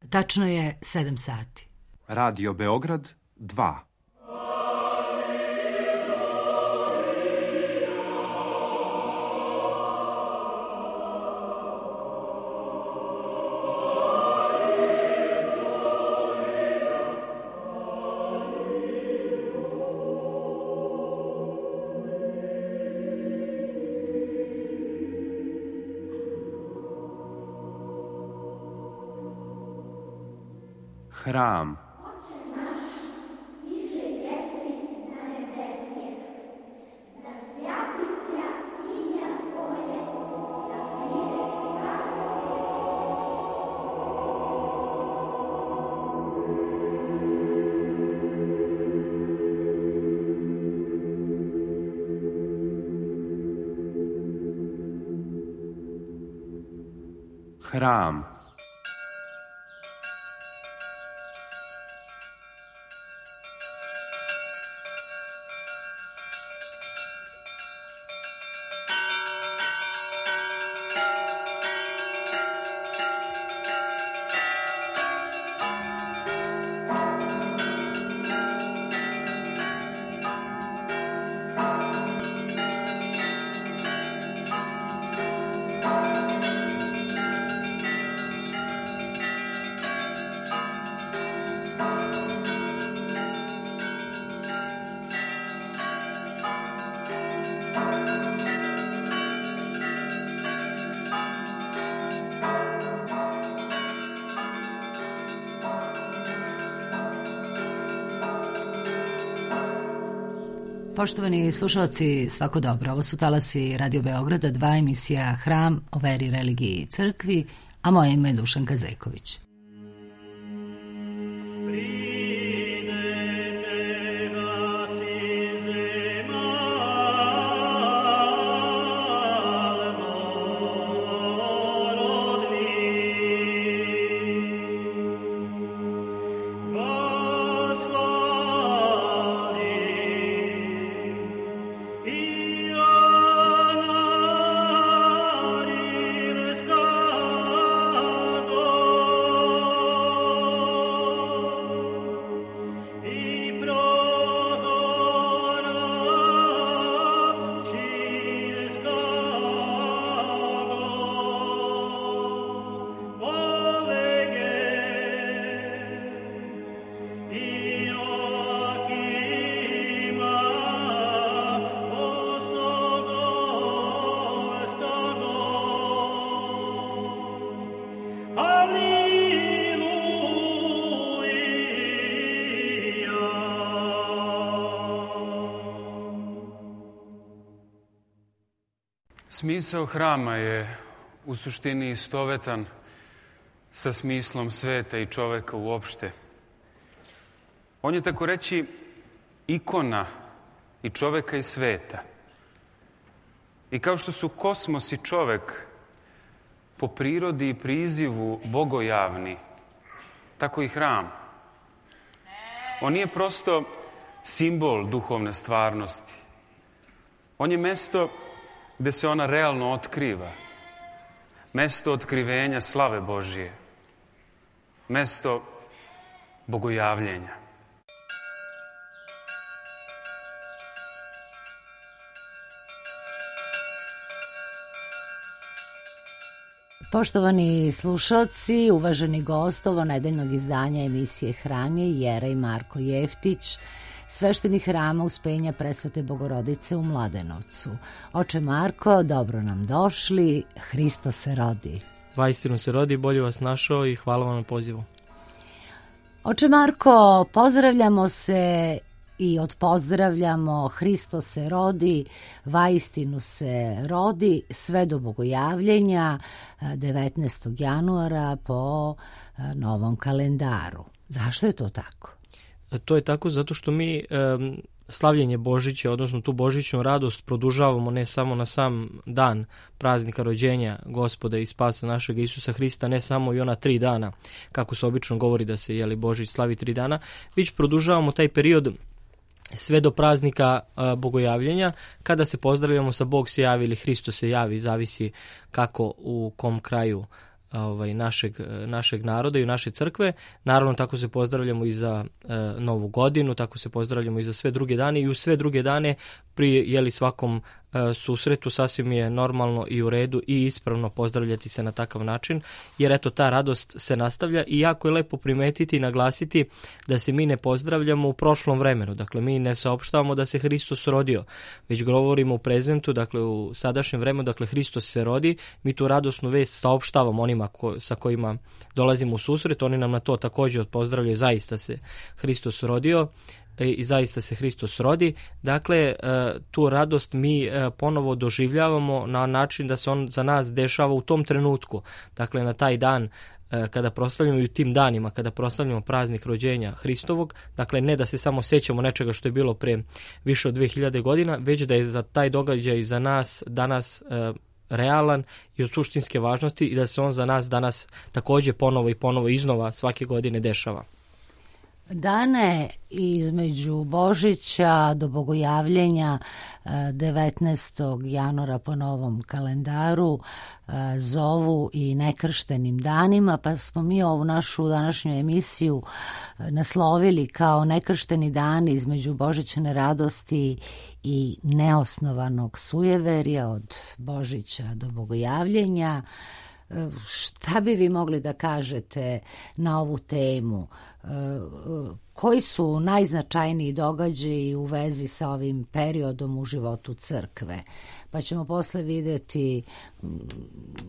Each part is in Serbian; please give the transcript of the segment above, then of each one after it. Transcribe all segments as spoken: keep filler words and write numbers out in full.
Tačno je sedam sati. Radio Beograd dva. Hram. Hram. Poštovani slušalci, svako dobro. Ovo su talasi Radio Beograda, dva, emisija Hram o veri, religiji i crkvi, a moje ime je Dušanka Zeković. Smisao hrama je u suštini istovetan sa smislom sveta i čoveka uopšte. On je, tako reći, ikona i čoveka i sveta. I kao što su kosmos i čovek po prirodi i prizivu bogojavni, tako i hram. On nije prosto simbol duhovne stvarnosti. On je mesto gde se ona realno otkriva. Mesto otkrivenja slave Božije. Mesto bogojavljenja. Poštovani slušalci, uvaženi gost ovo nedeljnog izdanja emisije Hram je Jerej Marko Jeftić, sveštenik hrama Uspenja Presvete Bogorodice u Mladenovcu. Oče Marko, dobro nam došli, Hristos se rodi. Vaistinu se rodi, bolje vas našao i hvala vam na pozivu. Oče Marko, pozdravljamo se i odpozdravljamo, Hristos se rodi, vaistinu se rodi, sve do bogojavljenja devetnaestog januara po novom kalendaru. Zašto je to tako? To je tako zato što mi um, slavljenje Božića, odnosno tu božićnu radost produžavamo ne samo na sam dan praznika rođenja Gospoda i spasa našeg Isusa Hrista, ne samo i ona tri dana, kako se obično govori da se jeli Božić slavi tri dana, već produžavamo taj period sve do praznika a, bogojavljenja, kada se pozdravljamo sa Bog se javi ili Hristos se javi, zavisi kako u kom kraju ovaj, našeg, našeg naroda i naše crkve. Naravno, tako se pozdravljamo i za e, Novu godinu, tako se pozdravljamo i za sve druge dane i u sve druge dane pri jeli svakom e, susretu sasvim je normalno i u redu i ispravno pozdravljati se na takav način, jer eto ta radost se nastavlja i jako je lepo primetiti i naglasiti da se mi ne pozdravljamo u prošlom vremenu. Dakle, mi ne saopštavamo da se Hristos rodio, već govorimo u prezentu, dakle u sadašnjem vremenu, dakle Hristos se rodi, mi tu radosnu vest saopštavamo onima ko, sa kojima dolazimo u susret, oni nam na to također pozdravljaju, zaista se Hristos rodio i zaista se Hristos rodi. Dakle, tu radost mi ponovo doživljavamo na način da se on za nas dešava u tom trenutku. Dakle, na taj dan kada proslavljamo i u tim danima, kada proslavljamo praznik rođenja Hristovog, dakle ne da se samo sećamo nečega što je bilo pre više od dve hiljade godina, već da je za taj događaj za nas danas e, realan i od suštinske važnosti i da se on za nas danas također ponovo i ponovo iznova svake godine dešava. Dane između Božića do Bogojavljenja devetnaestog januara po novom kalendaru zovu i nekrštenim danima, pa smo mi ovu našu današnju emisiju naslovili kao nekršteni dani između božićne radosti i neosnovanog sujeverja od Božića do Bogojavljenja. Šta bi vi mogli da kažete na ovu temu? Koji su najznačajniji događaji u vezi sa ovim periodom u životu crkve? Pa ćemo posle vidjeti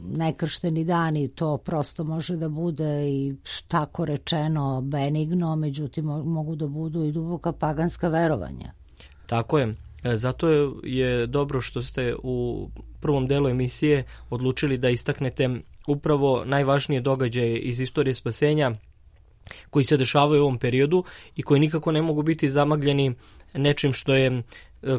nekršteni dani, to prosto može da bude i tako rečeno benigno, međutim mogu da budu i duboka paganska verovanja. Tako je. Zato je dobro što ste u prvom delu emisije odlučili da istaknete upravo najvažnije događaje iz istorije spasenja koji se dešavaju u ovom periodu i koji nikako ne mogu biti zamagljeni nečim što je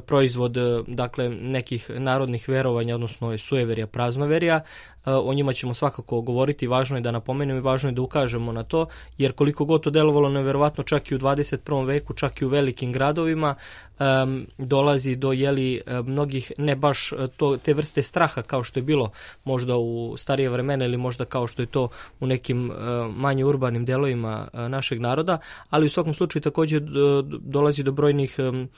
proizvod dakle nekih narodnih verovanja, odnosno sujeverja, praznoverja. O njima ćemo svakako govoriti, važno je da napomenemo i važno je da ukažemo na to, jer koliko god to delovalo neverovatno čak i u dvadeset prvom veku, čak i u velikim gradovima, um, dolazi do jeli mnogih ne baš to, te vrste straha kao što je bilo možda u starije vremena ili možda kao što je to u nekim uh, manje urbanim delovima uh, našeg naroda, ali u svakom slučaju također do, dolazi do brojnih um,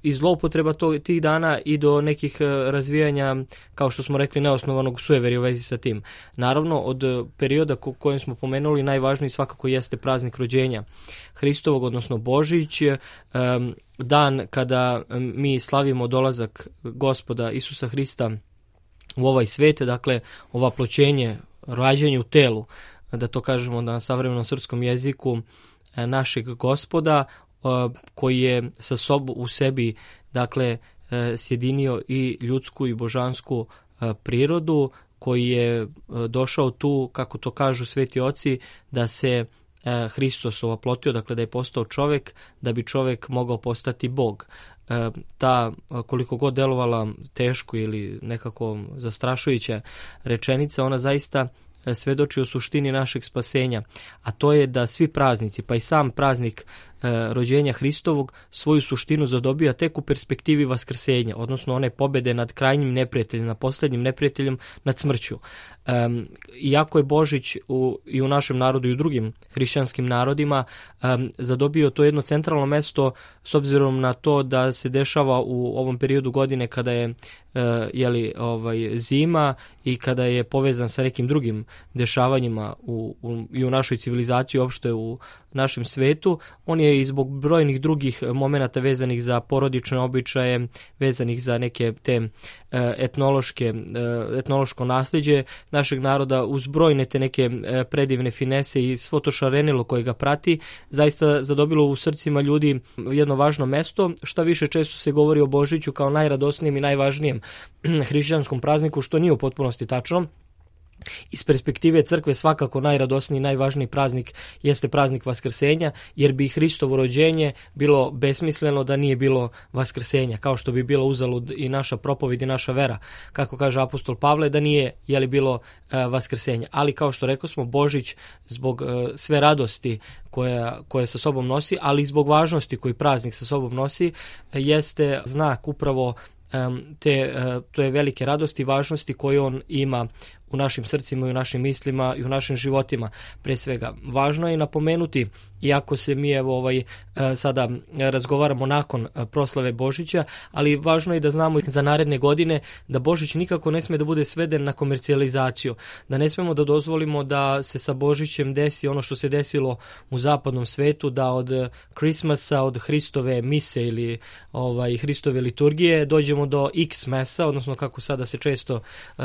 i zloupotreba tih dana i do nekih razvijanja, kao što smo rekli, neosnovanog sujeverja u vezi sa tim. Naravno, od perioda kojem smo pomenuli, najvažniji svakako jeste praznik rođenja Hristovog, odnosno Božić, dan kada mi slavimo dolazak Gospoda Isusa Hrista u ovaj svet, dakle, ovaploćenje, rađenje u telu, da to kažemo na savremenom srpskom jeziku, našeg Gospoda, koji je sa sobom u sebi dakle sjedinio i ljudsku i božansku prirodu, koji je došao tu, kako to kažu sveti oci, da se Hristos ovaplotio, dakle da je postao čovjek, da bi čovjek mogao postati Bog. Ta, koliko god delovala teško ili nekako zastrašujuća rečenica, ona zaista svedoči o suštini našeg spasenja, a to je da svi praznici, pa i sam praznik e, rođenja Hristovog, svoju suštinu zadobija tek u perspektivi vaskrsenja, odnosno one pobjede nad krajnjim neprijateljem, nad posljednjim neprijateljem, nad smrću. E, iako je Božić u, i u našem narodu i u drugim hrišćanskim narodima e, zadobio to jedno centralno mesto s obzirom na to da se dešava u ovom periodu godine kada je e, jeli, ovaj, zima i kada je povezan sa nekim drugim dešavanjima u, u, i u našoj civilizaciji, uopšte u našem svetu. On je i zbog brojnih drugih momenata vezanih za porodične običaje, vezanih za neke te etnološke, etnološko nasljeđe našeg naroda, uz brojne te neke predivne finese i svo to šarenilo koje ga prati, zaista zadobilo u srcima ljudi jedno važno mesto. Šta više, često se govori o Božiću kao najradosnijem i najvažnijem hrišćanskom prazniku, što nije u potpunosti tačno. Iz perspektive crkve svakako najradosniji i najvažniji praznik jeste praznik Vaskrsenja, jer bi Hristovo rođenje bilo besmisleno da nije bilo Vaskrsenja, kao što bi bilo uzalud i naša propovijed i naša vera, kako kaže apostol Pavle, da nije je li bilo uh, Vaskrsenja. Ali kao što rekao smo, Božić zbog uh, sve radosti koja, koja sa sobom nosi, ali i zbog važnosti koji praznik sa sobom nosi, jeste znak upravo te, to je velike radosti i važnosti koje on ima u našim srcima i u našim mislima i u našim životima. Pre svega, važno je napomenuti, iako se mi evo ovaj sada razgovaramo nakon proslave Božića, ali važno je da znamo za naredne godine da Božić nikako ne sme da bude sveden na komercijalizaciju, da ne smemo da dozvolimo da se sa Božićem desi ono što se desilo u zapadnom svetu, da od Christmasa, od Hristove mise ili ovaj Hristove liturgije dođemo do X-mesa, odnosno kako sada se često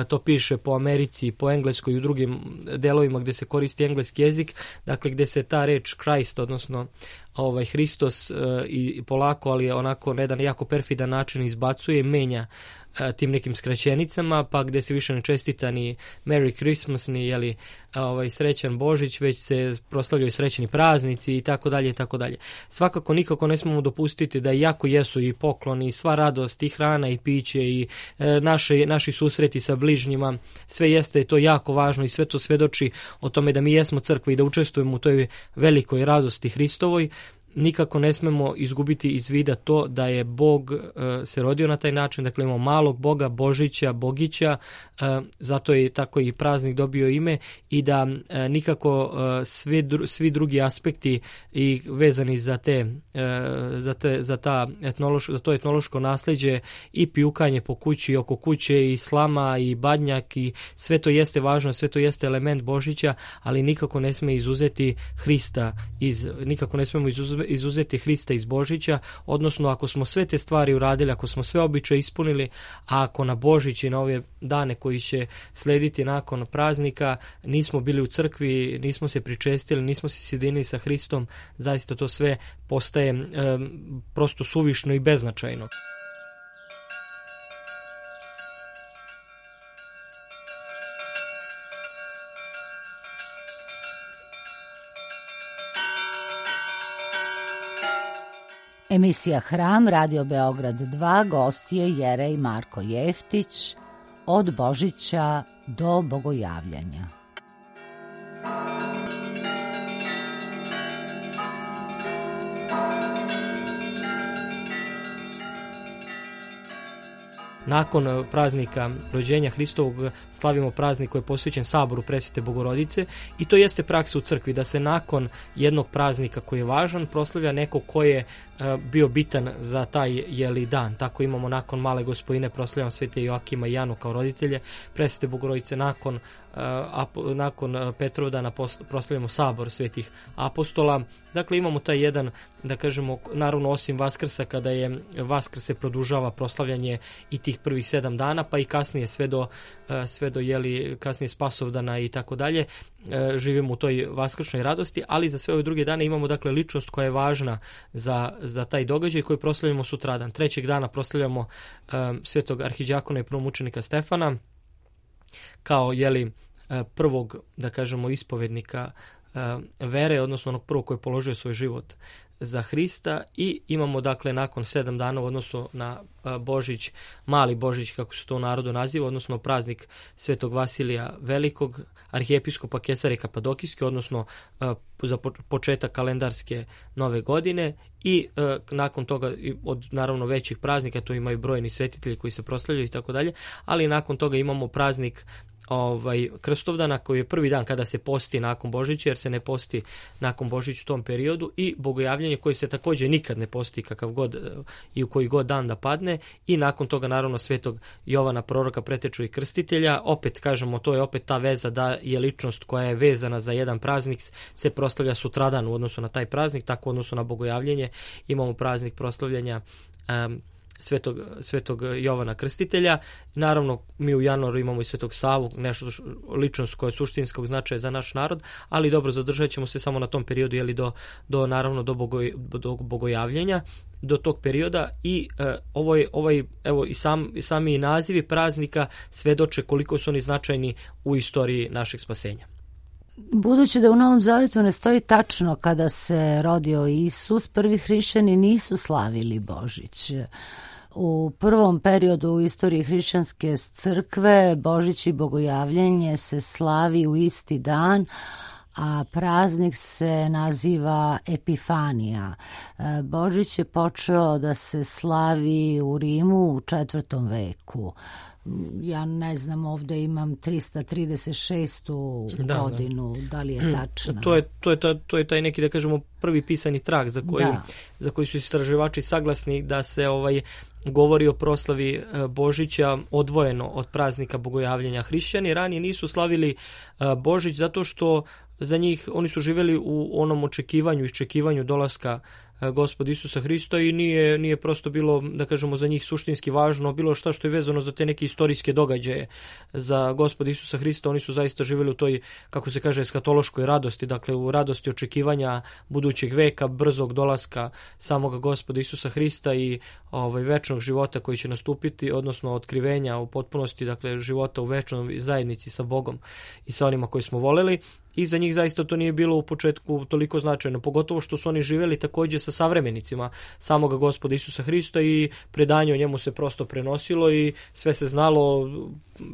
to piše po Americi, po engleskoj i u drugim delovima gde se koristi engleski jezik, dakle gde se ta reč Christ, odnosno ovaj Hristos i polako, ali onako na jedan jako perfidan način izbacuje i menja tim nekim skraćenicama, pa gde se više ne čestita ni Merry Christmas, ni jeli, ovaj, srećan Božić, već se proslavljaju srećni praznici i tako dalje i tako dalje. Svakako nikako ne smemo dopustiti da iako jesu i pokloni, i sva radost, i hrana i piće, i e, naše, naši susreti sa bližnjima, sve jeste to jako važno i sve to svedoči o tome da mi jesmo crkva i da učestvujemo u toj velikoj radosti Hristovoj. Nikako ne smemo izgubiti iz vida to da je Bog uh, se rodio na taj način, dakle imamo malog Boga, Božića, Bogića, uh, zato je tako i praznik dobio ime i da uh, nikako uh, svi, dru, svi drugi aspekti i vezani za te, uh, za, te, za, ta etnološ, za to etnološko nasleđe i pijukanje po kući i oko kuće i slama i badnjak i sve to jeste važno, sve to jeste element Božića, ali nikako ne sme izuzeti Hrista, iz, nikako ne smemo izuzeti izuzeti Hrista iz Božića, odnosno ako smo sve te stvari uradili, ako smo sve običaje ispunili, a ako na Božić i na ove dane koji će slediti nakon praznika nismo bili u crkvi, nismo se pričestili, nismo se sjedinili sa Hristom, zaista to sve postaje e, prosto suvišno i beznačajno. Emisija Hram, Radio Beograd dva, gost je Jerej Marko Jeftić, od Božića do Bogojavljanja. Nakon praznika rođenja Hristovog slavimo praznik koji je posvećen saboru Presvete Bogorodice i to jeste praksa u crkvi, da se nakon jednog praznika koji je važan proslavlja neko ko je uh, bio bitan za taj jeli dan. Tako imamo nakon Male Gospojine proslavljamo Svete Joakima i Janu kao roditelje, Presvete Bogorodice nakon, uh, apo, nakon Petrovdana proslavljamo sabor Svetih apostola. Dakle imamo taj jedan, da kažemo, naravno osim Vaskrsa, kada je Vaskrs se produžava proslavljanje i tih prvih sedam dana, pa i kasnije sve do, sve do jeli, kasnije Spasovdana i tako dalje, živimo u toj vaskršnoj radosti, ali za sve ove druge dane imamo dakle ličnost koja je važna za, za taj događaj koji proslavljamo sutradan. Trećeg dana proslavljamo um, svetog arhiđakona i prvomučenika Stefana kao jeli, prvog, da kažemo, ispovednika vere, odnosno onog prvog koji je položio svoj život za Hrista, i imamo dakle nakon sedam dana u odnosu na Božić, mali Božić kako se to u narodu naziva, odnosno praznik Svetog Vasilija Velikog, arhijepiskopa Kesarije Kapadokijske, odnosno za početak kalendarske nove godine, i nakon toga od naravno većih praznika, to imaju brojni svetitelji koji se proslavljaju i tako dalje, ali nakon toga imamo praznik ovaj Krstovdana koji je prvi dan kada se posti nakon Božića, jer se ne posti nakon Božića u tom periodu, i Bogojavljanje koji se također nikad ne posti kakav god i u koji god dan da padne, i nakon toga naravno Svetog Jovana proroka, preteču i krstitelja. Opet kažemo, to je opet ta veza da je ličnost koja je vezana za jedan praznik se proslavlja sutradan u odnosu na taj praznik, tako u odnosu na Bogojavljanje imamo praznik proslavljanja um, Svetog, Svetog Jovana Krstitelja. Naravno, mi u januaru imamo i Svetog Savu, nešto ličnost koja je suštinskog značaja za naš narod, ali dobro, zadržat ćemo se samo na tom periodu, jeli do, do naravno do, bogoj, do Bogojavljenja, do tog perioda. I uh, ovaj, ovaj, evo i, sam, i sami nazivi praznika svedoče koliko su oni značajni u istoriji našeg spasenja. Budući da u Novom Zavetu ne stoji tačno kada se rodio Isus, prvi hrišćani nisu slavili Božić. U prvom periodu u istoriji hrišćanske crkve Božić i Bogojavljenje se slavi u isti dan, a praznik se naziva Epifanija. Božić je počeo da se slavi u Rimu u četvrtom veku. ja ne znam, ovdje imam tristo trideset šestu da, godinu, da. da li je tačna? To je, to, je, to je taj neki, da kažemo, prvi pisani trag za koji, za koji su istraživači saglasni da se ovaj govori o proslavi Božića odvojeno od praznika Bogojavljenja. Hrišćani ranije nisu slavili Božić zato što za njih oni su živjeli u onom očekivanju, iščekivanju dolaska Gospoda Isusa Hrista i nije, nije prosto bilo, da kažemo, za njih suštinski važno bilo šta što je vezano za te neke istorijske događaje za Gospoda Isusa Hrista. Oni su zaista živjeli u toj, kako se kaže, eskatološkoj radosti, dakle u radosti očekivanja budućeg veka, brzog dolaska samoga Gospoda Isusa Hrista i ovaj, večnog života koji će nastupiti, odnosno otkrivenja u potpunosti, dakle života u večnoj zajednici sa Bogom i sa onima koji smo voleli. I za njih zaista to nije bilo u početku toliko značajno, pogotovo što su oni živjeli također sa savremenicima samoga Gospoda Isusa Hrista i predanje o njemu se prosto prenosilo i sve se znalo,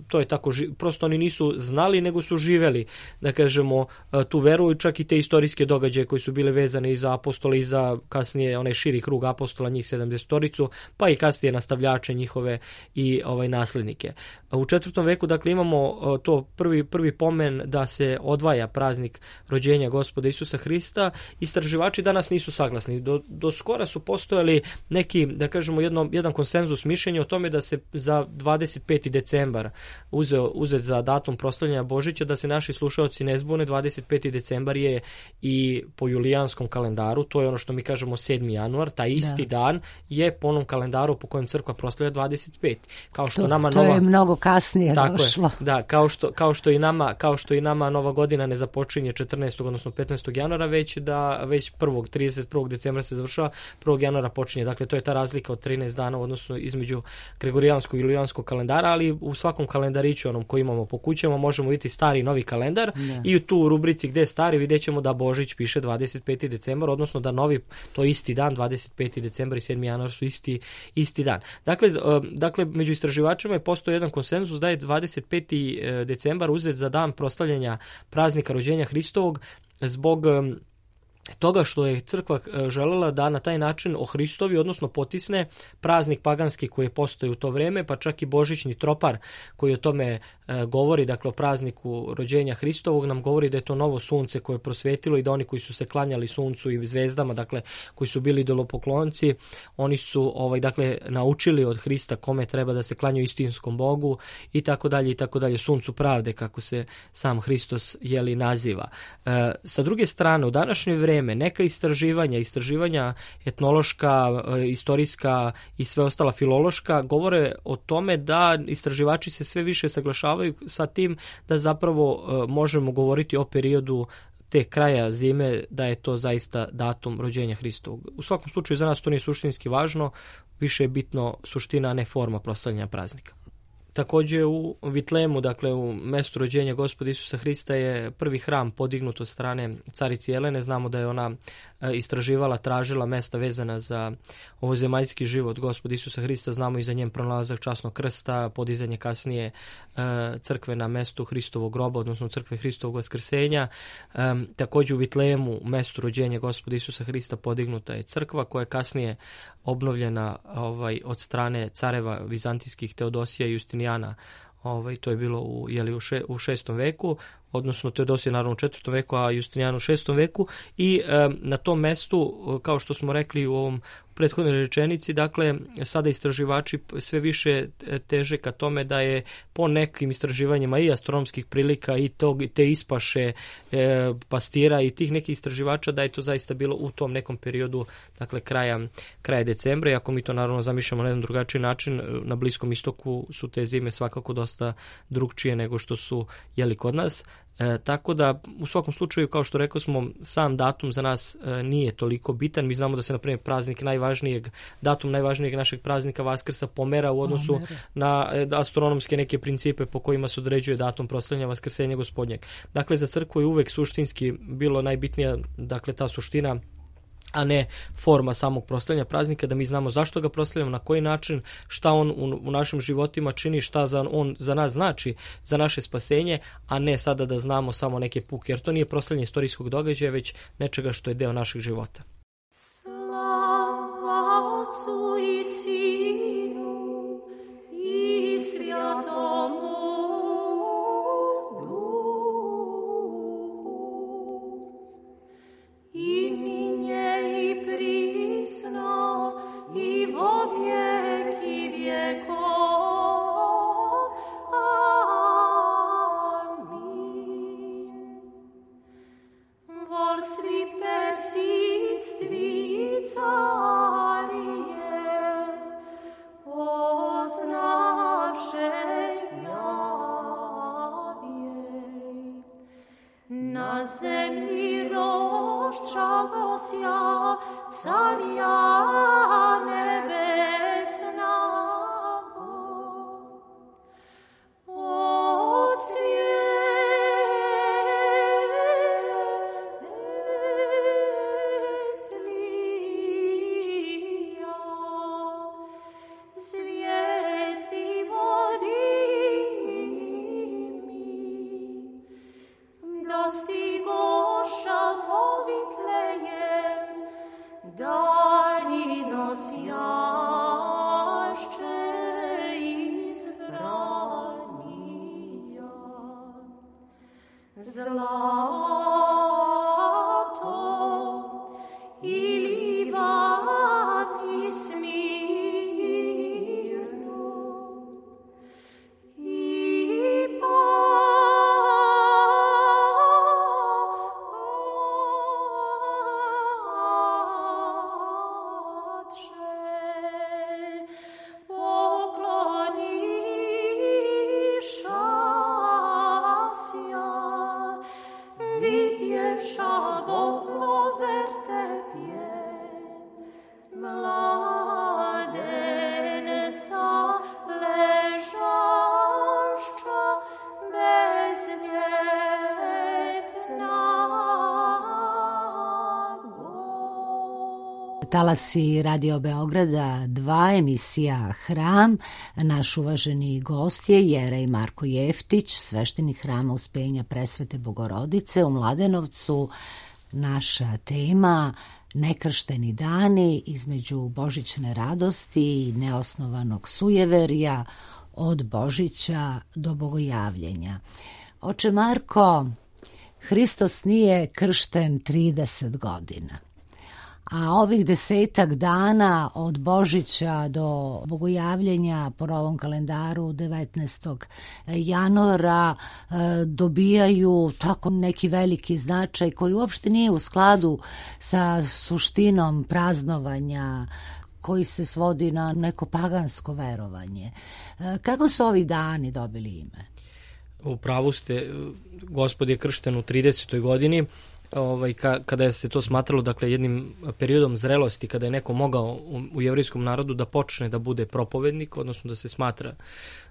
to je tako, prosto oni nisu znali nego su živjeli, da kažemo, tu veru i čak i te istorijske događaje koji su bile vezane i za apostole i za kasnije onaj širi krug apostola, njih sedamdesetoricu, pa i kasnije nastavljače njihove i ovaj naslednike. U četvrtom veku, dakle, imamo to prvi, prvi pomen da se odvaja praznik rođenja Gospoda Isusa Hrista. Istraživači danas nisu saglasni. Do, do skora su postojali neki, da kažemo, jedno, jedan konsenzus mišljenja o tome da se za dvadeset peti decembar uzeo, uzet za datum proslavljanja Božića, da se naši slušaoci ne zbune, dvadeset peti decembar je i po julijanskom kalendaru, to je ono što mi kažemo sedmi januar, taj isti da. dan je po onom kalendaru po kojem crkva proslavlja dvadeset peti. Kao što to, nama to nova... je mnogo kasnije Tako došlo. Je, da, kao što, kao što i nama, kao što i nama nova godina ne započinje četrnaestog odnosno petnaestog januara, već da već prvog trideset prvog decembra se završava, prvog januara počinje. Dakle, to je ta razlika od trinaest dana u odnosu između gregorijanskog i julijanskog kalendara, ali u svakom kalendariću onom koji imamo po kućama možemo vidjeti stari i novi kalendar ne. I u tu rubrici gdje je stari vidjet ćemo da Božić piše dvadeset peti decembar, odnosno da novi, to isti dan, dvadeset peti decembar i sedmi januar su isti, isti dan. Dakle, dakle, među istraživačima je postoji jedan konsenzus da je dvadeset peti decembar uzet za dan proslavljanja praznika rođenja Hristovog zbog toga što je crkva željela da na taj način ohristovi, odnosno potisne praznik paganski koji je postojao u to vrijeme, pa čak i božićni tropar koji o tome e, govori, dakle o prazniku rođenja Hristovog, nam govori da je to novo sunce koje je prosvetilo i da oni koji su se klanjali suncu i zvezdama, dakle koji su bili idolopoklonci, oni su ovaj dakle naučili od Hrista kome treba da se klanjaju istinskom Bogu i tako dalje i tako dalje, suncu pravde kako se sam Hristos jeli naziva. E, sa druge strane, u današnje vrijeme neka istraživanja, istraživanja etnološka, istorijska i sve ostala filološka govore o tome da istraživači se sve više saglašavaju sa tim da zapravo možemo govoriti o periodu te kraja zime, da je to zaista datum rođenja Hristovog. U svakom slučaju za nas to nije suštinski važno, više je bitno suština, a ne forma proslavljanja praznika. Također u Vitlemu, dakle u mjestu rođenja Gospoda Isusa Hrista, je prvi hram podignut od strane carice Jelene. Znamo da je ona istraživala, tražila mjesta vezana za ovozemaljski život Gospoda Isusa Hrista. Znamo i za njen pronalazak časnog krsta, podizanje kasnije crkve na mjestu Hristovog groba, odnosno crkve Hristovog vaskrsenja. Također u Vitlemu, u mjestu rođenja Gospoda Isusa Hrista, podignuta je crkva koja je kasnije obnovljena ovaj, od strane careva vizantijskih Teodosija i Justinijana. Ovaj, to je bilo u, jeli, u, še, u šestom veku, odnosno Teodosije naravno u četvrtom veku, a Justinijan u šestom veku i e, na tom mestu, kao što smo rekli u ovom prethodnoj rečenici, dakle sada istraživači sve više teže ka tome da je po nekim istraživanjima i astronomskih prilika i tog, te ispaše e, pastira i tih nekih istraživača da je to zaista bilo u tom nekom periodu, dakle kraja, kraja decembra, i ako mi to naravno zamišljamo na jedan drugačiji način, na Bliskom istoku su te zime svakako dosta drugčije nego što su jeli kod nas. E, tako da u svakom slučaju, kao što rekao smo, sam datum za nas e, nije toliko bitan. Mi znamo da se na primjer praznik najvažnijeg, datum najvažnijeg našeg praznika Vaskrsa pomera u odnosu Pomera. na e, astronomske neke principe po kojima se određuje datum proslavljanja Vaskrsenja Gospodnjeg. Dakle, za crkvu je uvek suštinski bilo najbitnija, dakle, ta suština, a ne forma samog proslavljanja praznika, da mi znamo zašto ga proslavljamo, na koji način, šta on u, u našim životima čini, šta za, on za nas znači, za naše spasenje, a ne sada da znamo samo neke puke, jer to nije proslavljanje istorijskog događaja, već nečega što je deo našeg života. Slava Otcu i Sinu i Svjatom Talasi Radio Beograda dva, emisija Hram. Naš uvaženi gost je Jerej Marko Jeftić, sveštenik Hrama Uspenja Presvete Bogorodice u Mladenovcu. Naša tema nekršteni dani između božićne radosti i neosnovanog sujeverja od Božića do Bogojavljenja. Oče Marko, Hristos nije kršten trideset godina. A ovih desetak dana od Božića do Bogojavljenja po novom kalendaru devetnaestog januara dobijaju tako neki veliki značaj koji uopšte nije u skladu sa suštinom praznovanja koji se svodi na neko pagansko verovanje. Kako su ovi dani dobili ime? U pravu ste, Gospod je kršten u tridesetoj godini. Ovaj, ka, kada je se to smatralo, dakle, jednim periodom zrelosti, kada je neko mogao u, u jevrijskom narodu da počne da bude propovednik, odnosno da se smatra,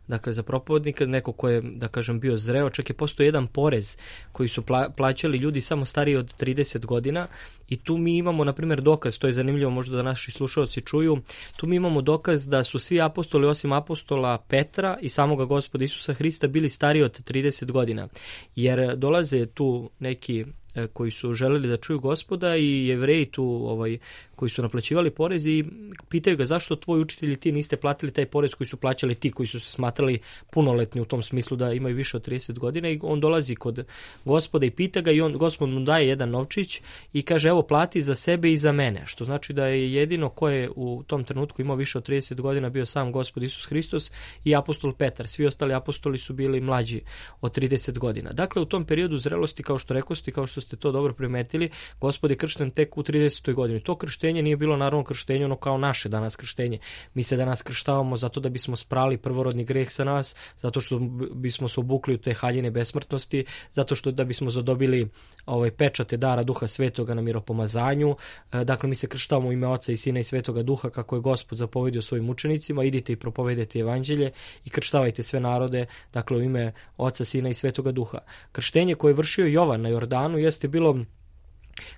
dakle, za propovednika, neko ko je, da kažem, bio zreo, čak je postao jedan porez koji su pla, plaćali ljudi samo stariji od trideset godina i tu mi imamo, na primjer, dokaz, to je zanimljivo možda da naši slušalci čuju, tu mi imamo dokaz da su svi apostoli, osim apostola Petra i samoga Gospoda Isusa Hrista, bili stariji od trideset godina, jer dolaze tu neki koji su želeli da čuju Gospoda i Jevreji tu ovaj, koji su naplaćivali porez i pitaju ga zašto tvoj učitelj i ti niste platili taj porez koji su plaćali ti koji su se smatrali punoletni u tom smislu da imaju više od trideset godina i on dolazi kod Gospoda i pita ga i on, Gospod mu daje jedan novčić i kaže evo plati za sebe i za mene, što znači da je jedino ko je u tom trenutku imao više od trideset godina bio sam Gospod Isus Hristos i apostol Petar, svi ostali apostoli su bili mlađi od trideset godina. Dakle, u tom periodu zrelosti, kao što rekosti, kao što ste to dobro primetili, Gospod je kršten tek u tridesetoj godini. To krštenje nije bilo naravno krštenje ono kao naše danas krštenje. Mi se danas krštavamo zato da bismo sprali prvorodni greh sa nas, zato što bismo se obukli u te haljine besmrtnosti, zato što da bismo zadobili ovaj pečate dara Duha Svetoga na miropomazanju. Dakle, mi se krštavamo u ime Oca i Sina i Svetoga Duha kako je Gospod zapovedio svojim učenicima, idite i propovedajte evanđelje i krštavajte sve narode, dakle u ime Oca, Sina i Svetoga Duha. Krštenje koje je vršio Jovan na Jordanu jeste bilo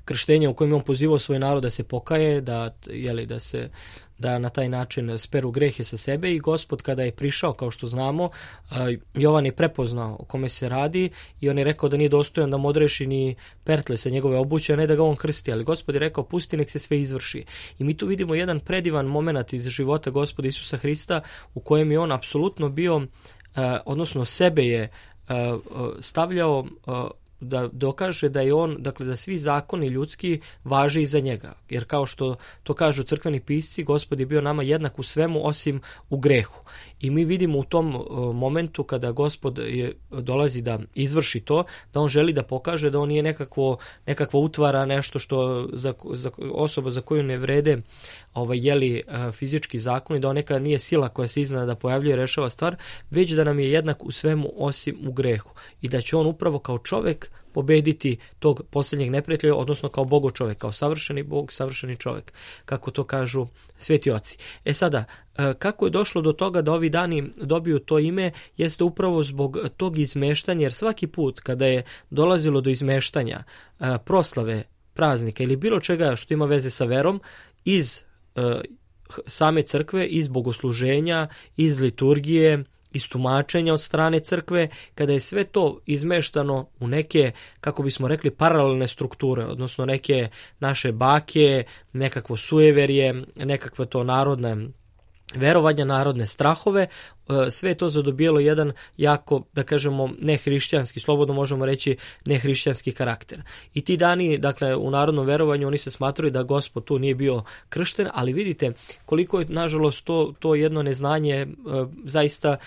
krštenje u kojem je on pozivao svoj narod da se pokaje, da, jeli, da se da na taj način speru grehe sa sebe i Gospod kada je prišao, kao što znamo, Jovan je prepoznao o kome se radi i on je rekao da nije dostojan da mu odreši ni pertle sa njegove obuće, a ne da ga on krsti, ali Gospod je rekao pusti nek se sve izvrši. I mi tu vidimo jedan predivan moment iz života Gospoda Isusa Hrista u kojem je on apsolutno bio, odnosno sebe je stavljao da dokaže da je on, dakle da svi zakoni ljudski važe i za njega. Jer kao što to kažu crkveni pisci, Gospod je bio nama jednak u svemu osim u grehu. I mi vidimo u tom momentu kada Gospod je, dolazi da izvrši to, da on želi da pokaže da on nije nekakvo, nekakva utvara, nešto što za, za osoba za koju ne vrede ovaj, jeli, fizički zakon i da on neka nije sila koja se iznenada pojavljuje i rešava stvar, već da nam je jednak u svemu osim u grehu. I da će on upravo kao čovek pobediti tog posljednjeg neprijatelja, odnosno kao Bogo čovek, kao savršeni Bog, savršeni čovek, kako to kažu sveti oci. E sada, kako je došlo do toga da ovi dani dobiju to ime, jeste upravo zbog tog izmeštanja, jer svaki put kada je dolazilo do izmeštanja proslave praznika ili bilo čega što ima veze sa verom, iz same crkve, iz bogosluženja, iz liturgije, iz tumačenja od strane crkve, kada je sve to izmeštano u neke, kako bismo rekli, paralelne strukture, odnosno neke naše bake, nekakvo sujeverje, nekakve to narodne verovanja, narodne strahove, sve je to zadobijelo jedan jako, da kažemo, nehrišćanski, slobodno možemo reći nehrišćanski karakter. I ti dani, dakle, u narodnom verovanju oni se smatraju da Gospod tu nije bio kršten, ali vidite koliko je, nažalost, to, to jedno neznanje e, zaista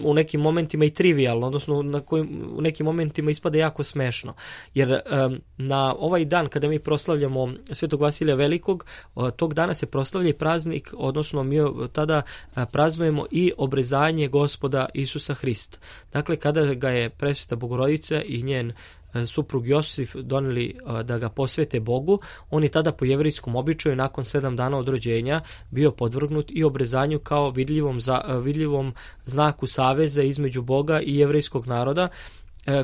u nekim momentima i trivijalno, odnosno na kojim, u nekim momentima ispada jako smešno. Jer e, na ovaj dan kada mi proslavljamo Svetog Vasilija Velikog, e, tog dana se proslavlja i praznik, odnosno mi tada e, praznujemo i obrezanje Gospoda Isusa Hrista. Dakle, kada ga je presveta Bogorodica i njen suprug Josif doneli da ga posvete Bogu, on je tada po jevrijskom običaju nakon sedam dana od rođenja bio podvrgnut i obrezanju kao vidljivom, za, vidljivom znaku saveza između Boga i jevrijskog naroda,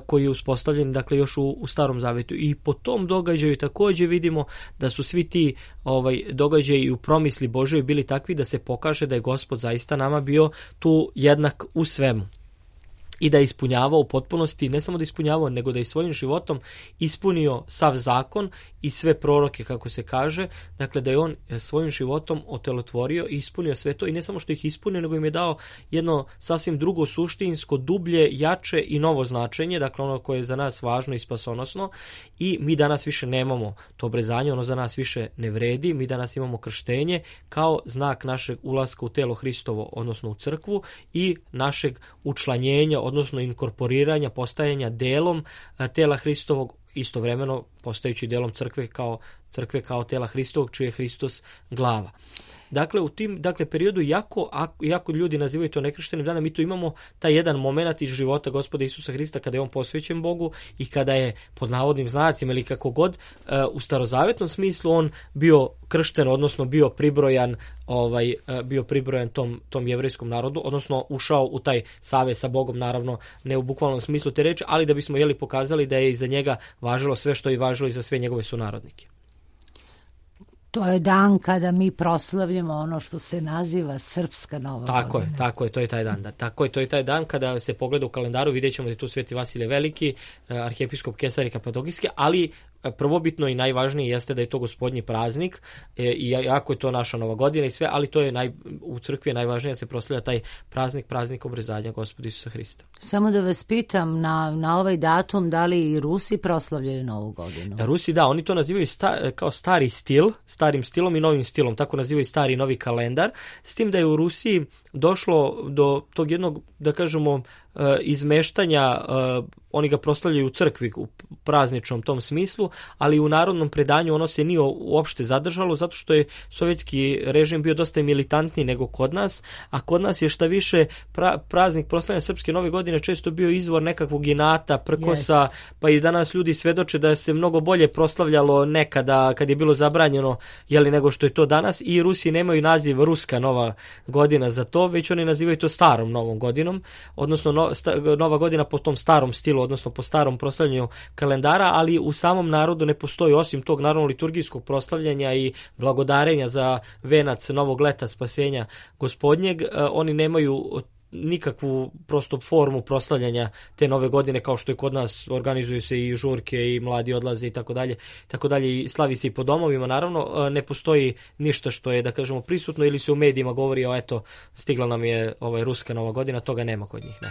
koji je uspostavljen, dakle, još u, u Starom Zavetu. I po tom događaju također vidimo da su svi ti ovaj, događaji u promisli Božoj bili takvi da se pokaže da je Gospod zaista nama bio tu jednak u svemu. I da je ispunjavao u potpunosti, ne samo da je ispunjavao, nego da je svojim životom ispunio sav zakon i sve proroke, kako se kaže, dakle da je on svojim životom otelotvorio i ispunio sve to, i ne samo što ih ispunio, nego im je dao jedno sasvim drugo, suštinsko, dublje, jače i novo značenje, dakle ono koje je za nas važno i spasonosno, i mi danas više nemamo to obrezanje, ono za nas više ne vredi, mi danas imamo krštenje kao znak našeg ulaska u telo Hristovo, odnosno u crkvu, i našeg učlanjenja, odnosno inkorporiranja, postajanja delom tela Hristovog, istovremeno postajući delom crkve kao, crkve kao tela Hristovog, čiji je Hristos glava. Dakle, u tim dakle, periodu, jako, jako ljudi nazivaju to nekrštenim danom, mi tu imamo taj jedan moment iz života Gospoda Isusa Hrista kada je on posvećen Bogu i kada je, pod navodnim znacima ili kako god, u starozavetnom smislu on bio kršten, odnosno bio pribrojan, ovaj, bio pribrojan tom, tom jevrejskom narodu, odnosno ušao u taj savez sa Bogom, naravno ne u bukvalnom smislu te reči, ali da bismo jeli pokazali da je iza njega važilo sve što je važilo i za sve njegove sunarodnike. To je dan kada mi proslavljamo ono što se naziva Srpska Nova tako godina. Je, tako je, to je taj dan. Da. Tako je, to je taj dan kada se pogleda u kalendaru, vidjet ćemo da je tu Sveti Vasilije Veliki, arhijepiskop Kesar i Kapadokijski, ali prvobitno i najvažnije jeste da je to Gospodnji praznik, e, i jako je to naša Nova godina i sve, ali to je naj, u crkvi je najvažnije da se proslavlja taj praznik, praznik obrezanja Gospoda Isusa Hrista. Samo da vas pitam, na, na ovaj datum da li i Rusi proslavljaju Novu godinu? Rusi, da, oni to nazivaju sta, kao stari stil, starim stilom i novim stilom, tako nazivaju stari i novi kalendar, s tim da je u Rusiji došlo do tog jednog, da kažemo, izmeštanja, oni ga proslavljaju u crkvi u prazničnom tom smislu, ali u narodnom predanju ono se nije uopšte zadržalo, zato što je sovjetski režim bio dosta militantniji nego kod nas, a kod nas je šta više pra, praznik proslavljanja Srpske Nove godine često bio izvor nekakvog inata, prkosa, yes. Pa i danas ljudi svedoče da se mnogo bolje proslavljalo nekada kad je bilo zabranjeno, jeli, nego što je to danas, i Rusi nemaju naziv Ruska Nova godina za to, već oni nazivaju to starom Novom godinom, odnosno no, sta, Nova godina po tom starom stilu, odnosno po starom proslavljanju kalendara, ali u samom narodu ne postoji, osim tog naravno liturgijskog proslavljanja i blagodarenja za venac novog leta spasenja Gospodnjeg, oni nemaju nikakvu prosto formu proslavljanja te nove godine, kao što je kod nas, organizuju se i žurke i mladi odlaze i tako dalje, tako dalje, i slavi se i po domovima, naravno ne postoji ništa što je, da kažemo, prisutno ili se u medijima govori o eto, stigla nam je ovaj Ruska Nova godina, toga nema kod njih, ne.